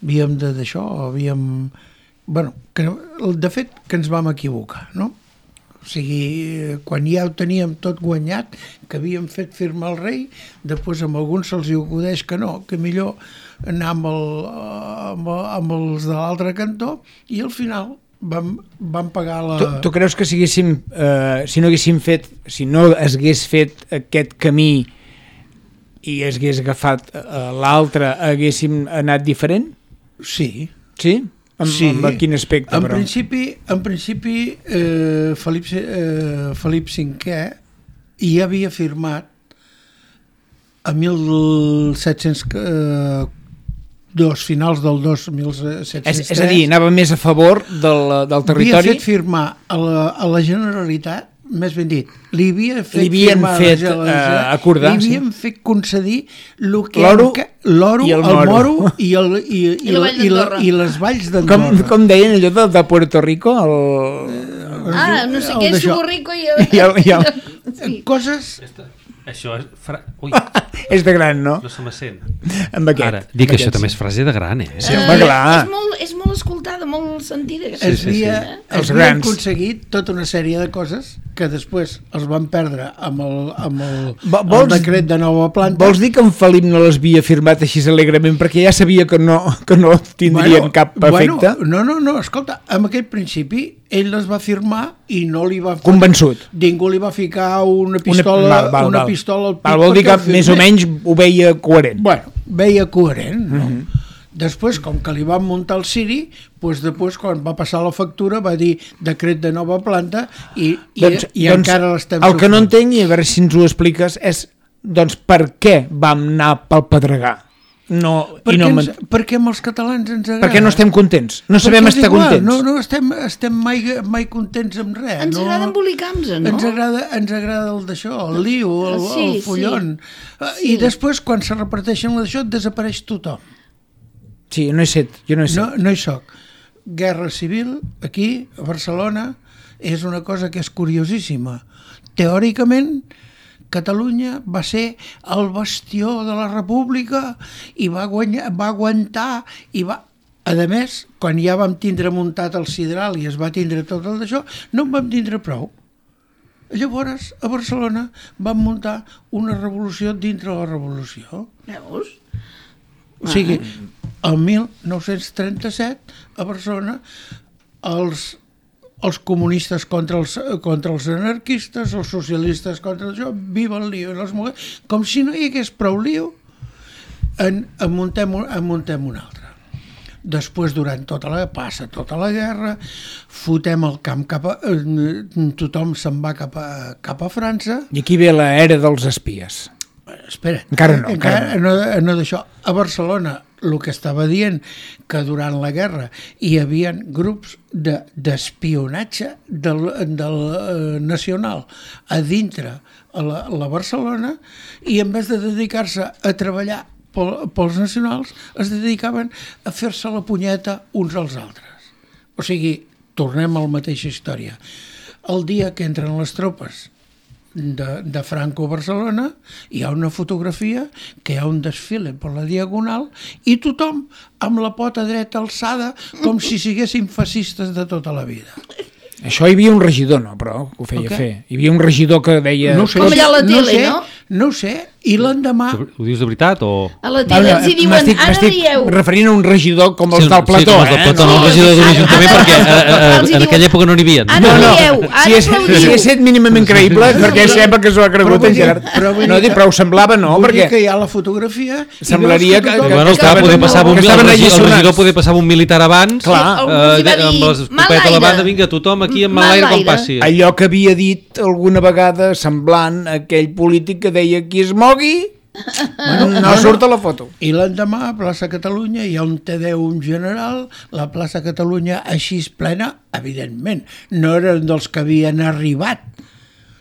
havíem de d'això, havíem bueno, que, de fet que ens vam equivocar, no? O sigui, quan ja ho teníem tot guanyat, que havíem fet firmar el rei, després amb alguns se'ls hi acudeix que no, que millor anar amb, el, amb, amb els de l'altre cantó, i al final Vam, vam pagar la... Tu, tu creus que si, haguéssim, eh, si no haguéssim fet, si no es hagués fet aquest camí i es hagués agafat eh, l'altre, haguéssim anat diferent? Sí. Sí? En, sí. En quin aspecte, en però? Principi, en principi, eh, Felip, eh, Felip cinquè ja havia firmat a mil set-cents dos, finals del dos mil set-cents tres. És, és a dir, anava més a favor del, del territori. Havia fet firmar a la, a la Generalitat, més ben dit, li havia fet li havien firmar fet a la uh, acordar, li havien sí. fet concedir l'oro l'oro, el, el moro i, el, i, i, I, la i, la, i les valls d'Andorra. Com, com deien allò de, de Puerto Rico? El... Ah, no sé què és Rico i... I el, i el... Sí. Coses... Això és... Fra... Ui, és de gran, no? no se me sent. Amb aquest. Ara, dic amb això aquest, també és frase de gran, eh? Sí, home, clar. És molt, és molt escoltada, molt sentida. Sí, es havia, sí, sí. Es havien aconseguit tota una sèrie de coses que després els van perdre amb el, amb el, vols, el decret de nova planta. Vols dir que en Felip no les havia firmat així alegrement perquè ja sabia que no, que no tindrien bueno, cap efecte? Bueno, no, no, no, escolta, en aquell principi ell les va firmar i no li va... Convençut. Ningú li va ficar una pistola, una, val, val, una val. pistola al pit. Val, vol dir que més o menys ho veia coherent. Bueno, veia coherent, no? Uh -huh. Després, com que li van muntar el Siri, doncs després, quan va passar la factura, va dir decret de nova planta i, i, doncs, i doncs, encara l'estem el que no entenc, i a veure si ens ho expliques, és doncs per què vam anar pel Pedregar? No, perquè, i no ens, perquè amb els catalans ens agrada. Perquè no estem contents, no sabem perquè estar igual, contents. No, no estem, estem mai, mai contents amb res. Ens no? agrada embolicar-nos, no? Ens agrada, ens agrada el d'això, el liu, el, sí, el follon. Sí. I després, quan se reparteixen d'això, desapareix tothom. Sí, no hi set, jo no hi set. No, no hi soc. Guerra civil, aquí, a Barcelona, és una cosa que és curiosíssima. Teòricament, Catalunya va ser el bastió de la República i va, guanyar, va aguantar i va... A més, quan ja vam tindre muntat el sidral i es va tindre tot el d'això, no en vam tindre prou. Llavors, a Barcelona vam muntar una revolució dintre la revolució. Veus? O sigui, el mil nou-cents trenta-set, a Barcelona, els... els comunistes contra els, contra els anarquistes, els socialistes contra això, viva el lío, els moguem, com si no hi hagués prou lío, en, en, muntem, en muntem un altre. Després, durant tota la... passa tota la guerra, fotem el camp cap a... Eh, tothom se'n va cap a, cap a França. I aquí ve l'era dels espies. Espera, encara no. Encara, encara no. no, no d'això. A Barcelona, el que estava dient, que durant la guerra hi havia grups de, d'espionatge del, del eh, nacional a dintre a la, a la Barcelona, i en vez de dedicar-se a treballar pel, pels nacionals, es dedicaven a fer-se la punyeta uns als altres. O sigui, tornem a la mateixa història. El dia que entren les tropes de, de Franco a Barcelona, hi ha una fotografia que hi ha un desfile per la Diagonal i tothom amb la pota dreta alçada com si siguessin fascistes de tota la vida. Això hi havia un regidor, no, però ho feia okay. fer. Hi havia un regidor que deia... No sé, com allà a la tele, no? Sé, no? No sé, i l'endemà... Ho dius de veritat o...? A la tele els hi diuen, m'estic, ara m'estic dieu... referint a un regidor com els sí, del Plató, sí, com els del Plató, eh? no, un regidor d'un ajuntament, perquè a, a, a, en aquella època no n'hi havia. Ara no, no, dieu, ara si és, aplaudiu. si és mínimament creïble, perquè sembla que s'ho ha cregut Però en Gerard. vull dir- però vull dir No, dic, que- però ho semblava, no, Vull dir perquè que hi ha la fotografia... i semblaria veus que- tothom- que- Bueno, clar, poder passava un, que el, estaven regidor, el alliçonats. regidor poder passava un militar abans, Clar. Algú els hi va eh, dir, amb l'escopeta a la "Malaire". banda, vinga, tothom aquí amb Malaire. l'enlaire com passi. allò que havia dit alguna vegada semblant a aquell polític que deia qui es mogui no, no surt a la foto. I l'endemà a plaça Catalunya hi ha un Te Deum general, la plaça Catalunya així plena, evidentment, no eren dels que havien arribat,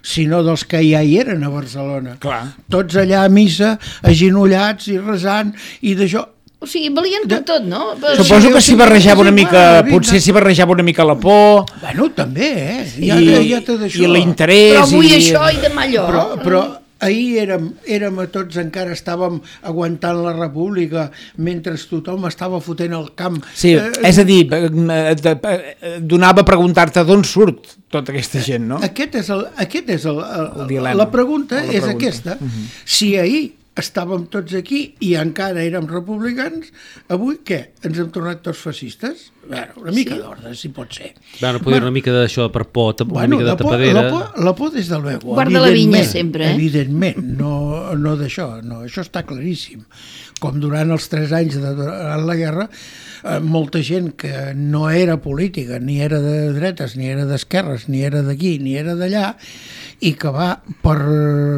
sinó dels que ja hi eren a Barcelona. Clar. Tots allà a missa, agenollats i resant, i d'això... O sigui, valien per tot, no? Per... Suposo que s'hi barrejava una Sí, mica, clar, potser vinga. s'hi barrejava una mica la por Bueno, també, eh? Ja, i, ja té d'això. i l'interès. Però avui i... això i demà allò. Però, però ahir érem, érem a tots, encara estàvem aguantant la república mentre tothom estava fotent el camp. Sí, Eh, és a dir, eh, eh, eh, donava a preguntar-te d'on surt tota aquesta gent, no? Aquest és el, aquest és el, el, El dilema. la pregunta La és pregunta. aquesta. Uh-huh. Si ahir estàvem tots aquí i encara érem republicans, avui què? Ens hem tornat tots fascistes? Bueno, una mica sí. d'ordre, si pot ser. Bueno, poder bueno, una mica d'això per por, una bueno, mica de la por, tapadera... La por, la por des del luego. Guarda la vinya sempre, eh? Evidentment, no, no d'això, no, això està claríssim. Com durant els tres anys de durant la guerra, eh, molta gent que no era política, ni era de dretes, ni era d'esquerres, ni era d'aquí, ni era d'allà, i que va, per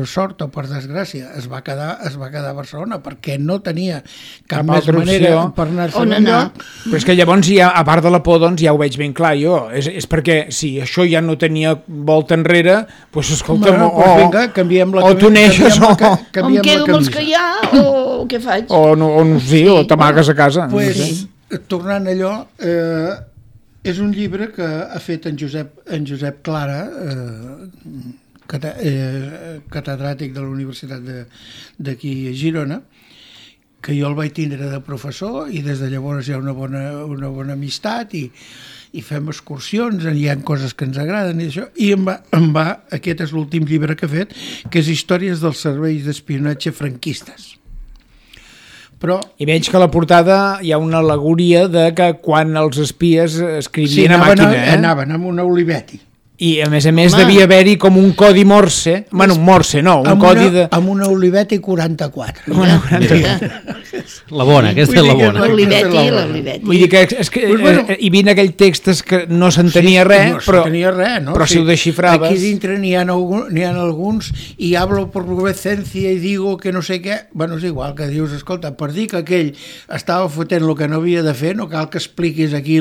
sort o per desgràcia, es va quedar, es va quedar a Barcelona perquè no tenia cap, cap més manera opció per anar-se'n enlloc. Però és que llavors, ja, a part de la por, doncs ja ho veig ben clar jo. És, és perquè si això ja no tenia volta enrere, doncs escolta, bueno, o, pues vinga, canviem la o tu neixes o... La, o em quedo amb els que hi ha o què faig? O, no, o, no, sí, sí. o t'amagues a casa. Pues, no sé. Tornant a allò, eh, és un llibre que ha fet en Josep, en Josep Clara, eh, cata, eh, catedràtic de la Universitat d'aquí a Girona, que jo el vaig tindre de professor i des de llavors hi ha una bona, una bona amistat i, i fem excursions, hi ha coses que ens agraden i això, i em va, em va, aquest és l'últim llibre que he fet, que és Històries dels serveis d'espionatge franquistes. Però... I veig que a la portada hi ha una al·legoria de que quan els espies escrivien sí, a màquina... Sí, eh? anaven amb una Olivetti. I a més a més Home. devia haver-hi com un codi Morse, bueno, un Morse no, un codi una, de... Amb una Olivetti quaranta-quatre. Una quaranta-quatre. La bona, aquesta és la bona. L'Olivetti, l'Olivetti. Vull dir que és que pues bueno, hi havia aquell textes que no s'entenia sí, res, no però, res, no? però sí. si ho desxifraves... Aquí dintre n'hi ha, n'hi ha alguns i hablo por vuecencia i digo que no sé què... Bueno, és igual que dius, escolta, per dir que aquell estava fotent el que no havia de fer, no cal que expliquis aquí,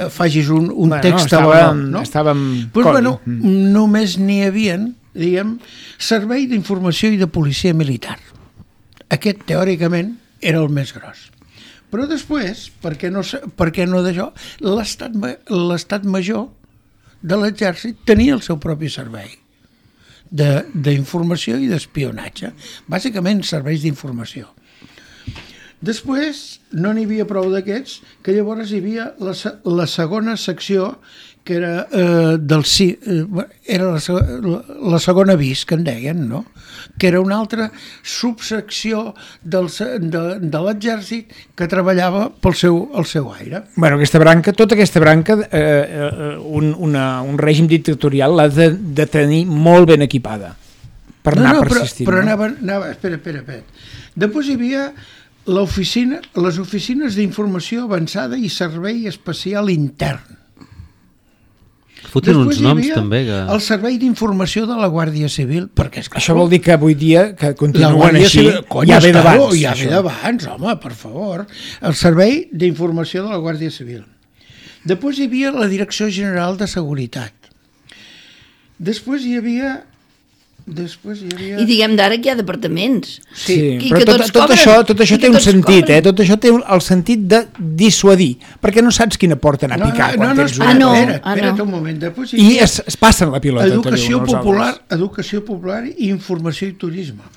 facis un, un bueno, text estàvem, a no? Estàvem... Pues, bueno, mm. només n'hi havien, diguem, servei d'informació i de policia militar. Aquest, teòricament, era el més gros. Però després, per què no, per què no d'això, l'estat, l'estat major de l'exèrcit tenia el seu propi servei d'informació i d'espionatge. Bàsicament, serveis d'informació. Després, no n'hi havia prou d'aquests, que llavors hi havia la, la segona secció que era, eh, del, eh, era la, la segona vis, que en deien, no? Que era una altra subsecció del, de, de l'exèrcit que treballava pel seu, el seu aire. Bueno, aquesta branca, tota aquesta branca, eh, un, una, un règim dictatorial l'ha de, de tenir molt ben equipada per anar no, no, persistint. Però, però no? anava, anava, espera, espera, espera. Després hi havia l'oficina, les oficines d'informació avançada i servei especial intern. Foten uns noms també que... el servei d'informació de la Guàrdia Civil, perquè és que això vol dir que avui dia que continuen així, Civil, cony, ja ve d'abans, ja ve d'abans, home, per favor. El servei d'informació de la Guàrdia Civil. Després hi havia la Direcció General de Seguretat. Després hi havia Després hi havia... I diguem d'ara que hi ha departaments. Sí, I però que tot, tot, això, tot això té un sentit, cobren. eh? Tot això té el sentit de dissuadir, perquè no saps quina porta anar a picar no, no, quan no, tens no, una... Ah, no, espera, espera't ah, no. un moment. Després I es, es passen la pilota. Educació popular, educació popular i informació i turisme.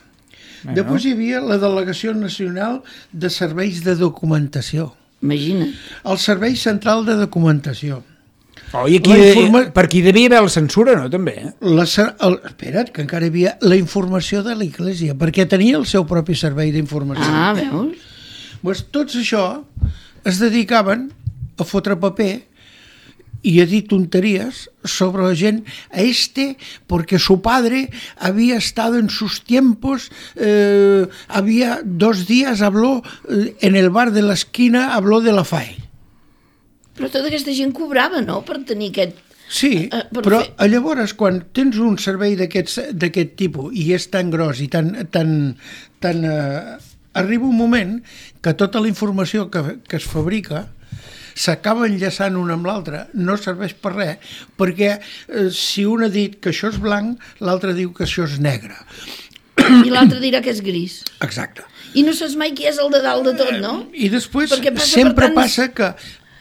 Bueno. Després hi havia la Delegació Nacional de Serveis de Documentació. Imagina. El Servei Central de Documentació. Oh, i aquí, informa... per aquí devia haver la censura, no, també? Eh? La, el, espera't, que encara hi havia la informació de l'Església, perquè tenia el seu propi servei d'informació. Ah, veus? Pues tots això es dedicaven a fotre paper y a dir tonterías sobre la gent. A este, porque su padre había estado en sus tiempos, eh, había dos días, habló eh, en el bar de la esquina, habló de la F A E. Però tota aquesta gent cobrava, no?, per tenir aquest... Sí, uh, però fer... llavors quan tens un servei d'aquest tipus i és tan gros i tan... tan, tan uh, arriba un moment que tota la informació que, que es fabrica s'acaba enllaçant una amb l'altra, no serveix per res, perquè uh, si un ha dit que això és blanc, l'altre diu que això és negre. I l'altre dirà que és gris. Exacte. I no saps mai qui és el de dalt de tot, no? I després passa sempre tants... passa que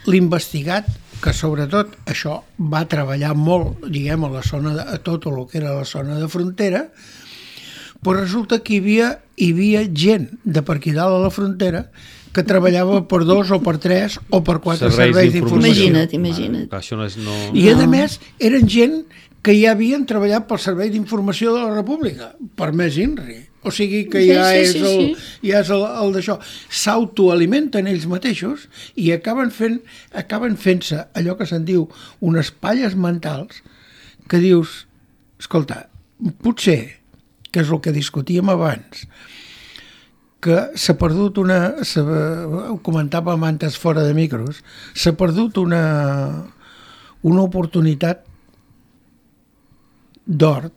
l'investigat, que sobretot això va treballar molt, diguem, a la zona de, a tot el que era la zona de frontera, però resulta que hi havia, hi havia gent de per aquí dalt a la frontera que treballava per dos o per tres o per quatre serveis, serveis d'informació. Imagina't, imagina't. Ah, això no és, no... I a més eren gent que ja havien treballat pel Servei d'Informació de la República, per més INRI. O sigui que ja Sí, sí, és sí, el, sí. ja és el, el d'això. S'autoalimenten ells mateixos i acaben fent acaben fent-se allò que se'n diu unes palles mentals que dius, escolta, potser, que és el que discutíem abans, que s'ha perdut una... Ho comentàvem antes fora de micros, s'ha perdut una, una oportunitat d'or,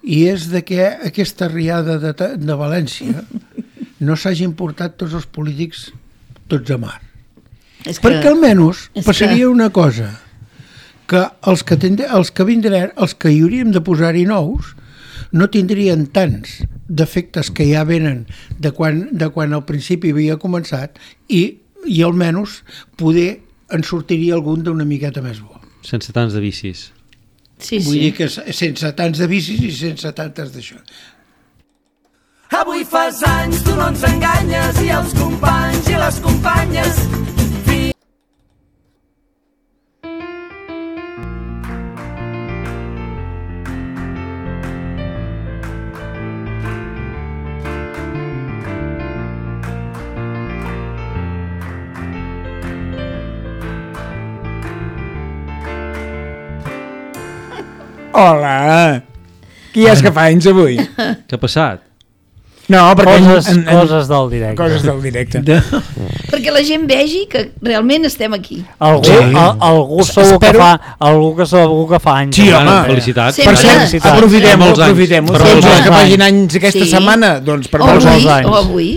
i és de que aquesta riada de, de València no s'hagin portat tots els polítics tots a mar. És que- Perquè almenys és passaria que- una cosa, que els que, tendre, els que vindran, els que hi hauríem de posar-hi nous, no tindrien tants defectes que ja venen de quan, de quan al principi havia començat i, i almenys poder en sortiria algun d'una miqueta més bo. Sense tants de vicis. Sí, Vull sí. dir que sense tants de vicis i sense tantes d'això. Avui fas anys, tu no ens enganyes, i els companys i les companyes. Hola! Qui és que fa anys avui? Què ha passat? No, perquè... Coses, en- en- coses del directe. Coses del directe. De... Perquè la gent vegi que realment estem aquí. Algú, Sí. al, algú segur que Espero- fa algú que segur que fa anys. Sí, eh? home. Felicitats. Sempre. Per cert, Felicitats. aprofitem-ho, Molts anys. aprofitem-ho. Per Doncs molts els que anys. facin anys aquesta Sí. setmana, doncs per O molts avui, anys. o avui.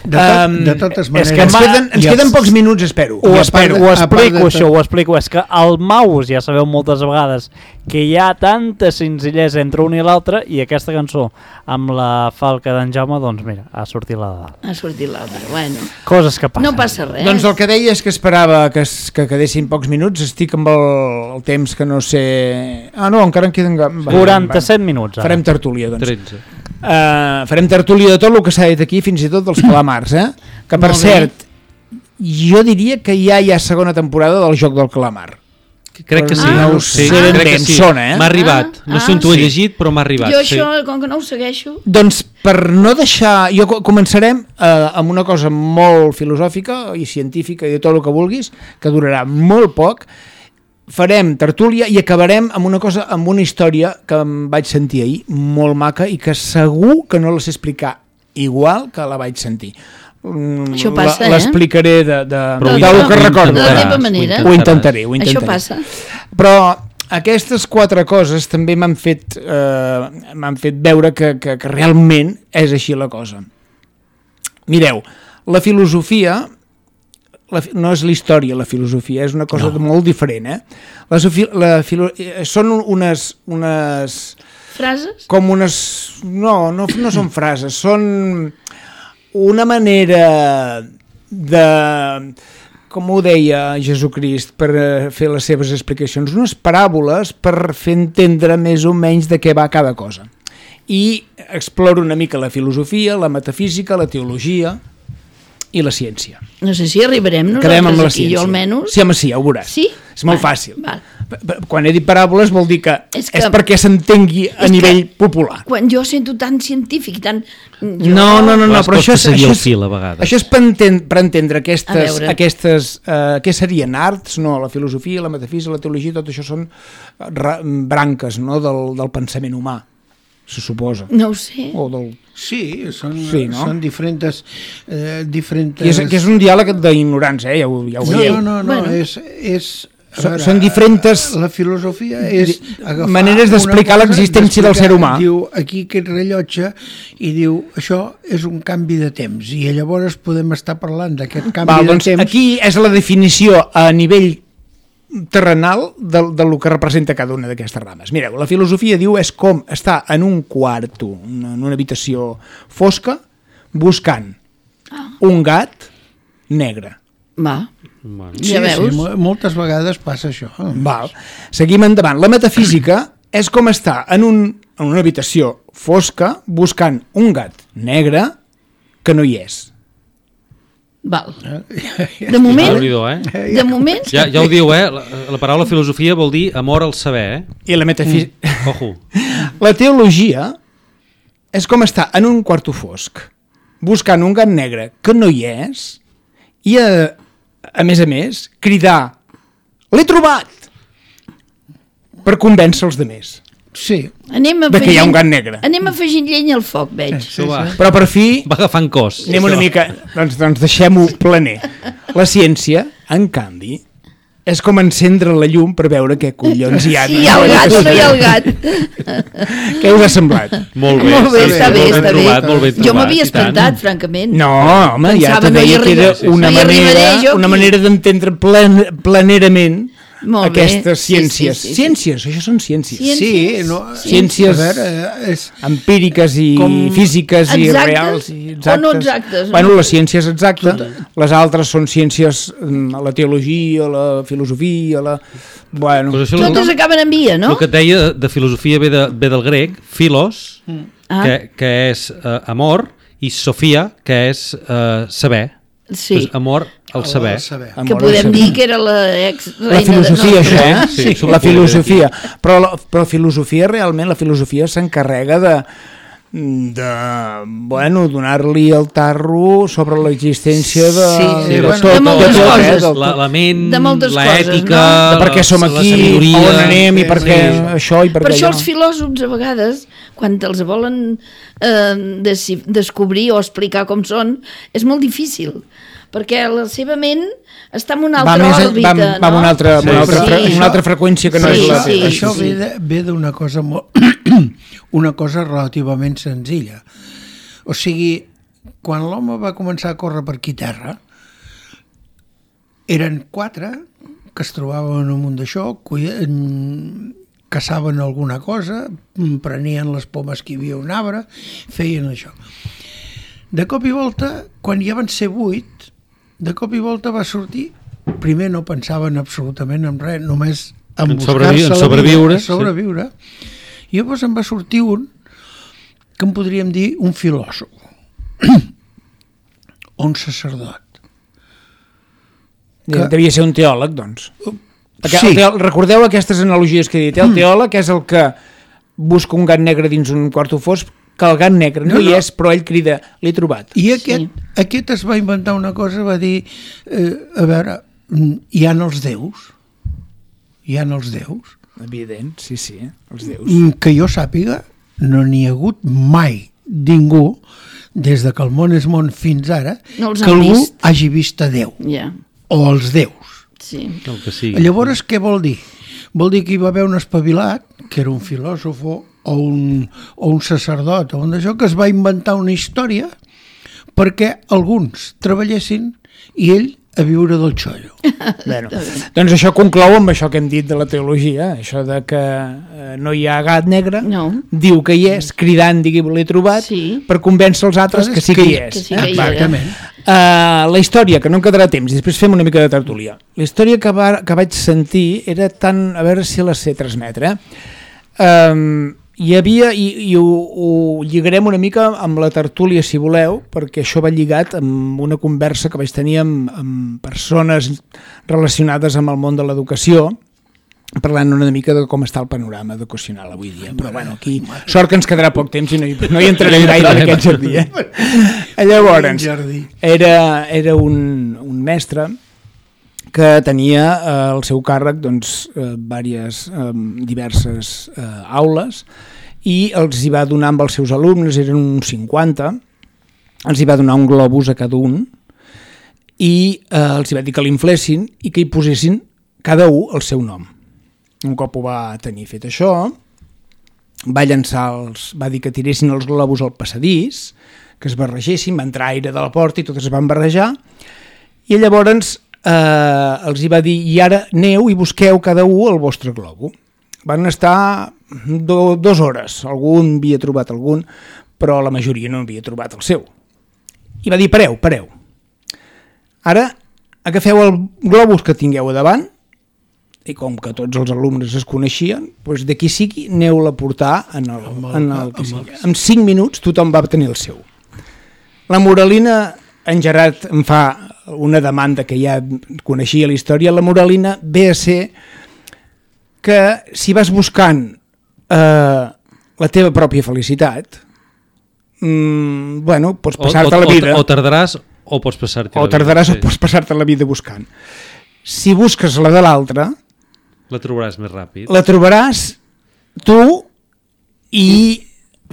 De, tot, Um, de totes és maneres... que Ens ma- queden, ens i queden els- pocs minuts, espero. Ho, I a explico, part de- ho a part explico de això, tot- ho explico. És que el mouse, ja sabeu moltes vegades, que hi ha tanta senzillesa entre un i l'altre, i aquesta cançó amb la falca d'en Jaume, doncs mira, ha sortit la de dalt. Ha sortit l'altre. Bueno, Coses que passen. no passa res. Doncs el que deia és que esperava que, es, que quedessin pocs minuts. Estic amb el, el temps que no sé... Ah, no, encara en queden... Va, quaranta-set minuts. va. Ara. Farem tertúlia, doncs. tretze. Uh, farem tertúlia de tot el que s'ha dit aquí, fins i tot dels calamars, eh? Que, per Molt bé. cert, jo diria que ja hi ha segona temporada del Joc del Calamar. Crec que sí. No ho sí, sé ben crec bé, que em sí. sona, eh? M'ha arribat. No Ah, sé on t'ho he sí. llegit, però m'ha arribat. Jo sí. això, com que no ho segueixo... Doncs per no deixar... Jo co- començarem eh, amb una cosa molt filosòfica i científica i de tot el que vulguis, que durarà molt poc. Farem tertúlia i acabarem amb una cosa, amb una història que em vaig sentir ahir, molt maca, i que segur que no la sé explicar igual que la vaig sentir. Mm, Això passa, la- eh? L'explicaré de, de, Però de, ho del que intentaràs, recordo. De la teva ho manera. Ho intentaràs. intentaré, ho intentaré. Això passa. Però aquestes quatre coses també m'han fet, eh, m'han fet veure que, que, que realment és així la cosa. Mireu, la filosofia, la, fi- no és la història, la filosofia, és una cosa no. molt diferent. Eh? La, sofi- la filo, eh, són unes, unes... Frases? com unes... No, no, no són frases, són una manera de... com ho deia Jesucrist per eh, fer les seves explicacions, unes paràboles per fer entendre més o menys de què va cada cosa. I exploro una mica la filosofia, la metafísica, la teologia i la ciència. No sé si arribarem Quedem amb la nosaltres aquí, ciència. jo almenys. Sí, home, sí, ja ho veuràs. Sí? És molt Val, fàcil. val. P- p- Quan he dit paràboles vol dir que és, És que- és perquè s'entengui a és nivell que- popular. Quan jo sento tan científic i tan... Jo... No, no, no, no, Les però això és, costa seguir això el és, fil, a vegades. això és per, enten, per entendre A aquestes, veure. aquestes eh, què serien arts, no, la filosofia, la metafísica, la teologia, tot això són ra, branques, no, del, del pensament humà, se suposa. No ho sé. O del, Sí, són, Sí, no? són diferents... Eh, diferents... que, és, que és un diàleg d'ignorància, eh? ja ho, ja ho No, veieu. no, no, no Bueno. és... és a Són- veure, són diferents La filosofia és agafar maneres d'explicar una cosa, l'existència del ser humà. Diu aquí aquest rellotge i diu això és un canvi de temps i llavors podem estar parlant d'aquest canvi Val, de doncs temps. aquí és la definició a nivell terrenal de, de lo que representa cada una d'aquestes rames. Mireu, la filosofia diu és com estar en un quarto, una, en una habitació fosca, buscant un gat negre. Va, Bueno. Sí, ja veus. sí, mo- moltes vegades passa això. Val. Seguim endavant. La metafísica és com estar en, un, en una habitació fosca buscant un gat negre que no hi és. Val. De moment, Déu-n'hi-do, eh? de moment... Ja, ja ho diu, eh? La, la paraula filosofia vol dir amor al saber, eh? I la metafísica... Mm. Ojo. La teologia és com estar en un quarto fosc, buscant un gat negre que no hi és, i a, a més a més, cridar l'he trobat! Per convèncer els demés. Sí. Anem De que hi ha un gat negre. Anem afegint llenya al foc, veig. Això va, Però per fi va agafant cos. anem una mica... Doncs, doncs deixem-ho planer. La ciència, en canvi, és com encendre la llum per veure què collons hi ha. Sí, hi ha el gat o no hi ha el gat. Què us ha semblat? Molt bé, Molt bé, sí, està sí, bé, molt ben està bé. trobat, molt ben Jo trobat, m'havia i tant. espantat, francament. No, home, ja Pensava, te no hi deia que era arriba- una no hi arribaré manera, jo una aquí. manera d'entendre plan, planerament Molt bé, aquestes sí, ciències. sí, sí, sí. Ciències, això són ciències. Ciències. Sí, no, Ciències- a veure, és, Empíriques i Com- físiques i Exactes reals. I o no exactes, no? Bueno, la ciència és exacta, les altres són ciències, mm, la teologia, la filosofia, la... Bueno, Pues això, Totes acaben en via, no? El que et deia de filosofia ve, de, ve del grec, philos, Ah. que, que és uh, amor, i sofia, que és uh, saber. Sí. Pues amor al saber. al saber. Que amor, podem saber. dir que era la ex La filosofia, això, eh? Sí, Sí, això la ho podem filosofia. Però la, però la filosofia, realment, la filosofia s'encarrega de de, bueno, donar-li el tarro sobre l'existència de, Sí, Sí, de, bueno, tot, de moltes tot, coses. eh, del tot. La, la ment, De moltes l'ètica, coses, de per què som la aquí, sabidoria. on anem i per Sí, què sí. això i per, Per què això allò. els filòsofs a vegades, quan els volen eh, desi- descobrir o explicar com són, és molt difícil, perquè la seva ment està en una Va, altra més, òrbita, va, va amb una altra, amb una Sí, altra, sí. fre- una altra freqüència que no Sí, és la sí, teva. Això sí. ve de- ve d'una cosa molt, una cosa relativament senzilla. O sigui, quan l'home va començar a córrer per aquí terra, eren quatre que es trobaven amunt d'això, cuien- caçaven alguna cosa, prenien les pomes que hi havia a un arbre, feien això. De cop i volta, quan ja van ser vuit, de cop i volta va sortir, primer no pensaven absolutament en res, només en, En buscar-se sobrevi- en la sobreviure, vida, en sobreviure. I llavors en va sortir un que en podríem dir un filòsof o un sacerdot. Que... Devia ser un teòleg, doncs. Perquè Sí. el teòleg, recordeu aquestes analogies que he dit. El teòleg és el que busca un gat negre dins un quarto fosc, que el gat negre no, No, hi no. és, però ell crida, l'he trobat. I aquest, sí. aquest es va inventar una cosa, va dir, eh, a veure, mm, hi ha els déus, hi ha els déus, Evident, sí, sí, els déus. mm, que jo sàpiga, no n'hi ha hagut mai ningú, des de que el món és món fins ara, No els que han algú vist. hagi vist a Déu, Ja, o els déus. sí. El que sigui. Llavors, què vol dir? Vol dir que hi va haver un espavilat, que era un filòsof o un, o un sacerdot, o un d'això, que es va inventar una història perquè alguns treballessin i ell a viure del xollo. Bueno, doncs això conclou amb això que hem dit de la teologia, això de que eh, no hi ha gat negre, No. diu que hi és, cridant, digui, l'he trobat, Sí. per convèncer els altres que sí que hi és. Que sí que hi és. Exactament. Uh, la història, que no em quedarà temps, i després fem una mica de tertúlia. La història que, va, que vaig sentir era tan... A veure si la sé transmetre. Um, hi havia, i, i ho, ho lligarem una mica amb la tertúlia, si voleu, perquè això va lligat amb una conversa que vaig tenir amb, amb persones relacionades amb el món de l'educació, parlant una mica de com està el panorama educacional avui dia. Però bueno, aquí sort que ens quedarà poc temps i no hi, no hi entrarem gaire en aquest jardí. Eh? Llavors, era, era un, un mestre que tenia eh, al seu càrrec doncs, eh, diverses, eh, diverses eh, aules i els hi va donar amb els seus alumnes, eren uns cinquanta, els hi va donar un globus a cada un i eh, els hi va dir que l'inflessin i que hi posessin cada un el seu nom. Un cop ho va tenir fet això, va llançar els, va dir que tiressin els globus al passadís, que es barregessin, va entrar aire de la porta i totes es van barrejar, i llavors eh, els hi va dir, i ara aneu i busqueu cada un el vostre globo. Van estar do, dues hores, algun havia trobat algun, però la majoria no havia trobat el seu. I va dir, pareu, pareu. Ara agafeu el globus que tingueu a davant, i com que tots els alumnes es coneixien, doncs d'aquí sigui aneu-la a portar en el, en el que sigui. En cinc minuts tothom va tenir el seu. La Moralina, en Gerard em fa una demanda que ja coneixia la història, la moralina ve a ser que si vas buscant eh, la teva pròpia felicitat, mm, bueno, pots passar-te o, o, la vida... O, o tardaràs o pots passar-te la o tardaràs vida. o pots passar-te la vida buscant. Si busques la de l'altre, La trobaràs més ràpid. la trobaràs tu i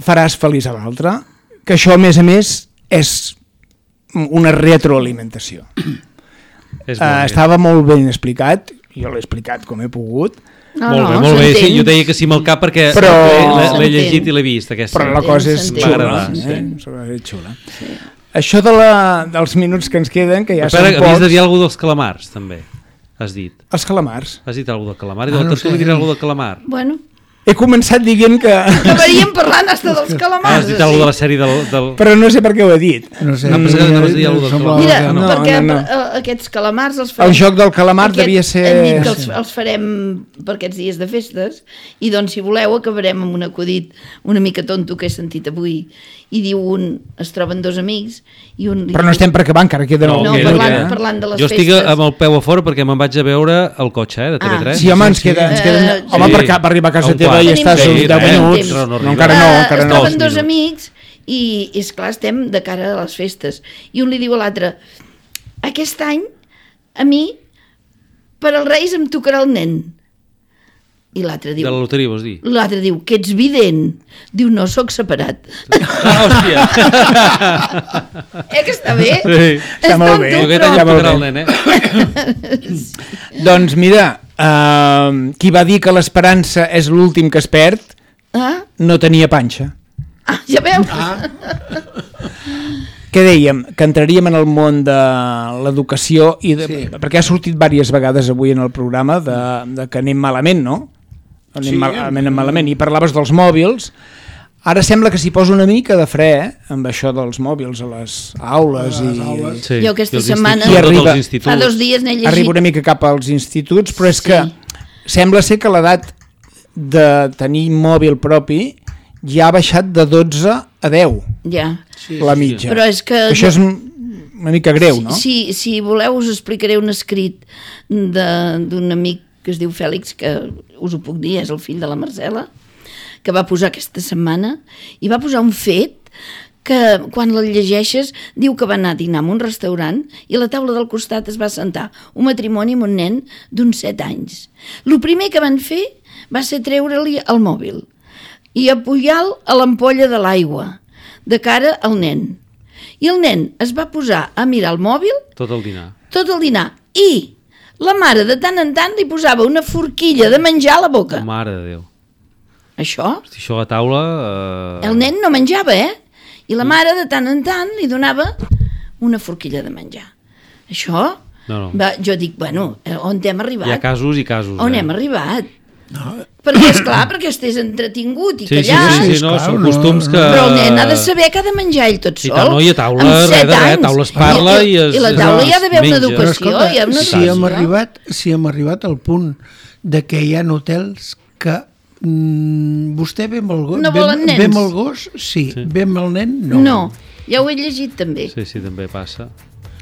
faràs feliç a l'altre, que això a més a més és una retroalimentació. És Uh, molt bé. estava molt ben explicat, jo l'he explicat com he pogut, No, molt no, bé, molt bé. Sí, s'entén. jo deia que sí amb el cap perquè Però- l'he- l'he S'entén. llegit i l'he vist. Aquesta. però la cosa és s'entén. xula. M'agrada, Eh? sí. És xula. Això de la, dels minuts que ens queden, que ja Espera, són havies pocs, de dir alguna dels calamars, també. Has dit. els calamars. Has dit alguna de calamar? I Ah, de no no sé. tu li diré alguna de calamar. Bueno, He començat dient que... acabaríem parlant hasta dels Ah, calamars. has dit alguna de la sèrie del... del... però no sé per què ho he dit. No sé. Ah, pensava que anaves a dir alguna cosa. semblava Mira, que no. perquè no. eh, aquests calamars els farem... El joc del calamar devia ser- Hem dit que els, els farem per aquests dies de festes i doncs si voleu acabarem amb un acudit una mica tonto que he sentit avui i diu un, es troben dos amics i un... li Però no diu- estem per acabar, encara queda No, un que minut, parlant, eh? parlant de les Jo estic festes. amb el peu a fora perquè me'n vaig a veure el cotxe, eh, de T V tres. Ah. Sí, home, ens queda... Ens queda Eh, home, sí. per, ca- per arribar a casa A un teva quart. i estàs Tenim uns temps, deu tenim minuts. temps. No, No encara no, Eh, encara es no. troben dos minuts. amics i, i esclar, estem de cara a les festes i un li diu a l'altre aquest any a mi per als Reis em tocarà el nen i l'altre De la diu loteria, vols dir? l'altre diu que ets vident diu no, sóc separat Ah, hòstia. eh que està bé? Sí. Està molt tonto, bé. Jo aquest però- any Ja em molt tocarà el bé. nen, eh? Doncs mira, uh, qui va dir que l'esperança és l'últim que es perd, ah? no tenia panxa. ah, ja veus? Què dèiem? Que entraríem en el món de l'educació i de, sí. perquè ha sortit diverses vegades avui en el programa de, de que anem malament, no? Anem Sí. mal, anem malament. I parlaves dels mòbils. Ara sembla que s'hi posa una mica de fre eh? amb això dels mòbils a les aules. A les i aules. Sí. Jo aquesta I els setmana- instituts, I tots arriba- els instituts. Fa dos dies n'he llegit. arriba una mica cap als instituts, però és Sí. que sembla ser que l'edat de tenir mòbil propi ja ha baixat de dotze a deu, Ja. Sí, la sí. mitja. Però és que... Això és una mica greu, no? Si, si voleu us explicaré un escrit de- d'un amic que es diu Fèlix, que us ho puc dir, és el fill de la Marcela, que va posar aquesta setmana, i va posar un fet que quan el llegeixes diu que va anar a dinar en un restaurant i a la taula del costat es va sentar un matrimoni amb un nen d'uns set anys. El primer que van fer va ser treure-li el mòbil i apujar-lo a l'ampolla de l'aigua, de cara al nen. I el nen es va posar a mirar el mòbil Tot el dinar. tot el dinar i la mare de tant en tant li posava una forquilla de menjar a la boca. Mare de Déu. Això, Hosti, això a la taula... Eh... el nen no menjava, eh? I la mare de tant en tant li donava una forquilla de menjar. Això, No, no. va, jo dic, bueno, eh, on hem arribat? Hi ha casos i casos. On eh? hem arribat? No. Perquè, esclar, perquè estigués entretingut i Sí, sí, callat. sí, sí, Sí, no, esclar, són no, costums que... Però el nen ha de saber que ha de menjar ell tot I sol. tant, no, i a taula, amb res set de res, a anys. taula es parla i es- I la taula hi ha d'haver una menja. Però educació. escolta, hi ha una si educació. hem, arribat, si hem arribat al punt de que hi ha hotels que mm, vostè ve amb el gos, No ve, volen nens. ve amb el gos, sí, Sí. ve amb el nen, no. No, ja ho he llegit també. Sí, sí, també passa.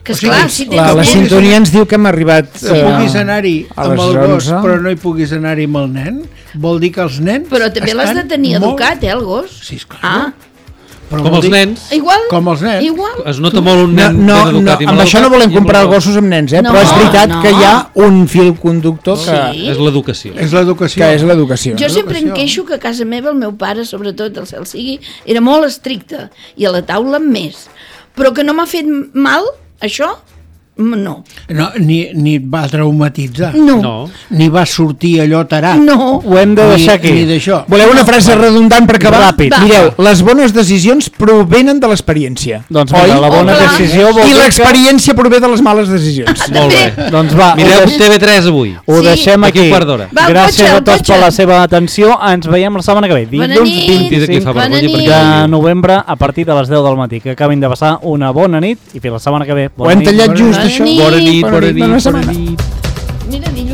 Que O sigui, esclar, si tens La, la nens... sintonia ens diu que hem arribat Que puguis anar-hi a amb les el gos, onze. però no hi puguis anar-hi amb el nen, vol dir que els nens Però també l'has de estan tenir molt- educat, eh, el gos? Sí, esclar. Ah, Però Com vol els dir- nens. igual. Com els nens. Igual. Es nota molt un No, nen no, ben no, educat i amb mal això no educat volem i amb comprar el gos. gossos amb nens, eh? No, però és veritat no. que hi ha un fil conductor que, Sí. És l'educació. És l'educació. que és l'educació. Jo sempre em Educació. queixo que a casa meva el meu pare, sobretot el cel sigui, era molt estricte i a la taula més. Però que no m'ha fet mal, això, no. No, ni, ni et va traumatitzar. No. No. Ni va sortir allò tarat. No. Ho hem de deixar aquí. Ni, ni d'això. Voleu una frase redundant per acabar? Ràpid. Va. Mireu, les bones decisions provenen de l'experiència. Doncs mira, la bona Oh, clar. decisió vol I dir que... l'experiència prové de les males decisions. Molt bé. Doncs va, ho, Mireu deix... T V tres avui. ho Sí. deixem D'aquí aquí. un quart d'hora. Va, el Gràcies cotxe, a el tots cotxe. per la seva atenció. Ens veiem la setmana que ve. Bona Dilluns nit. Fins aquí fa Bona vergonya nit. perquè... de novembre a partir de les deu del matí. Que acabin de passar una bona nit i fins la setmana que ve. Ho hem tallat just, Bona això. nit. Bona nit, bona Bona nit, nit, bona bona setmana. nit. Mira, dilluns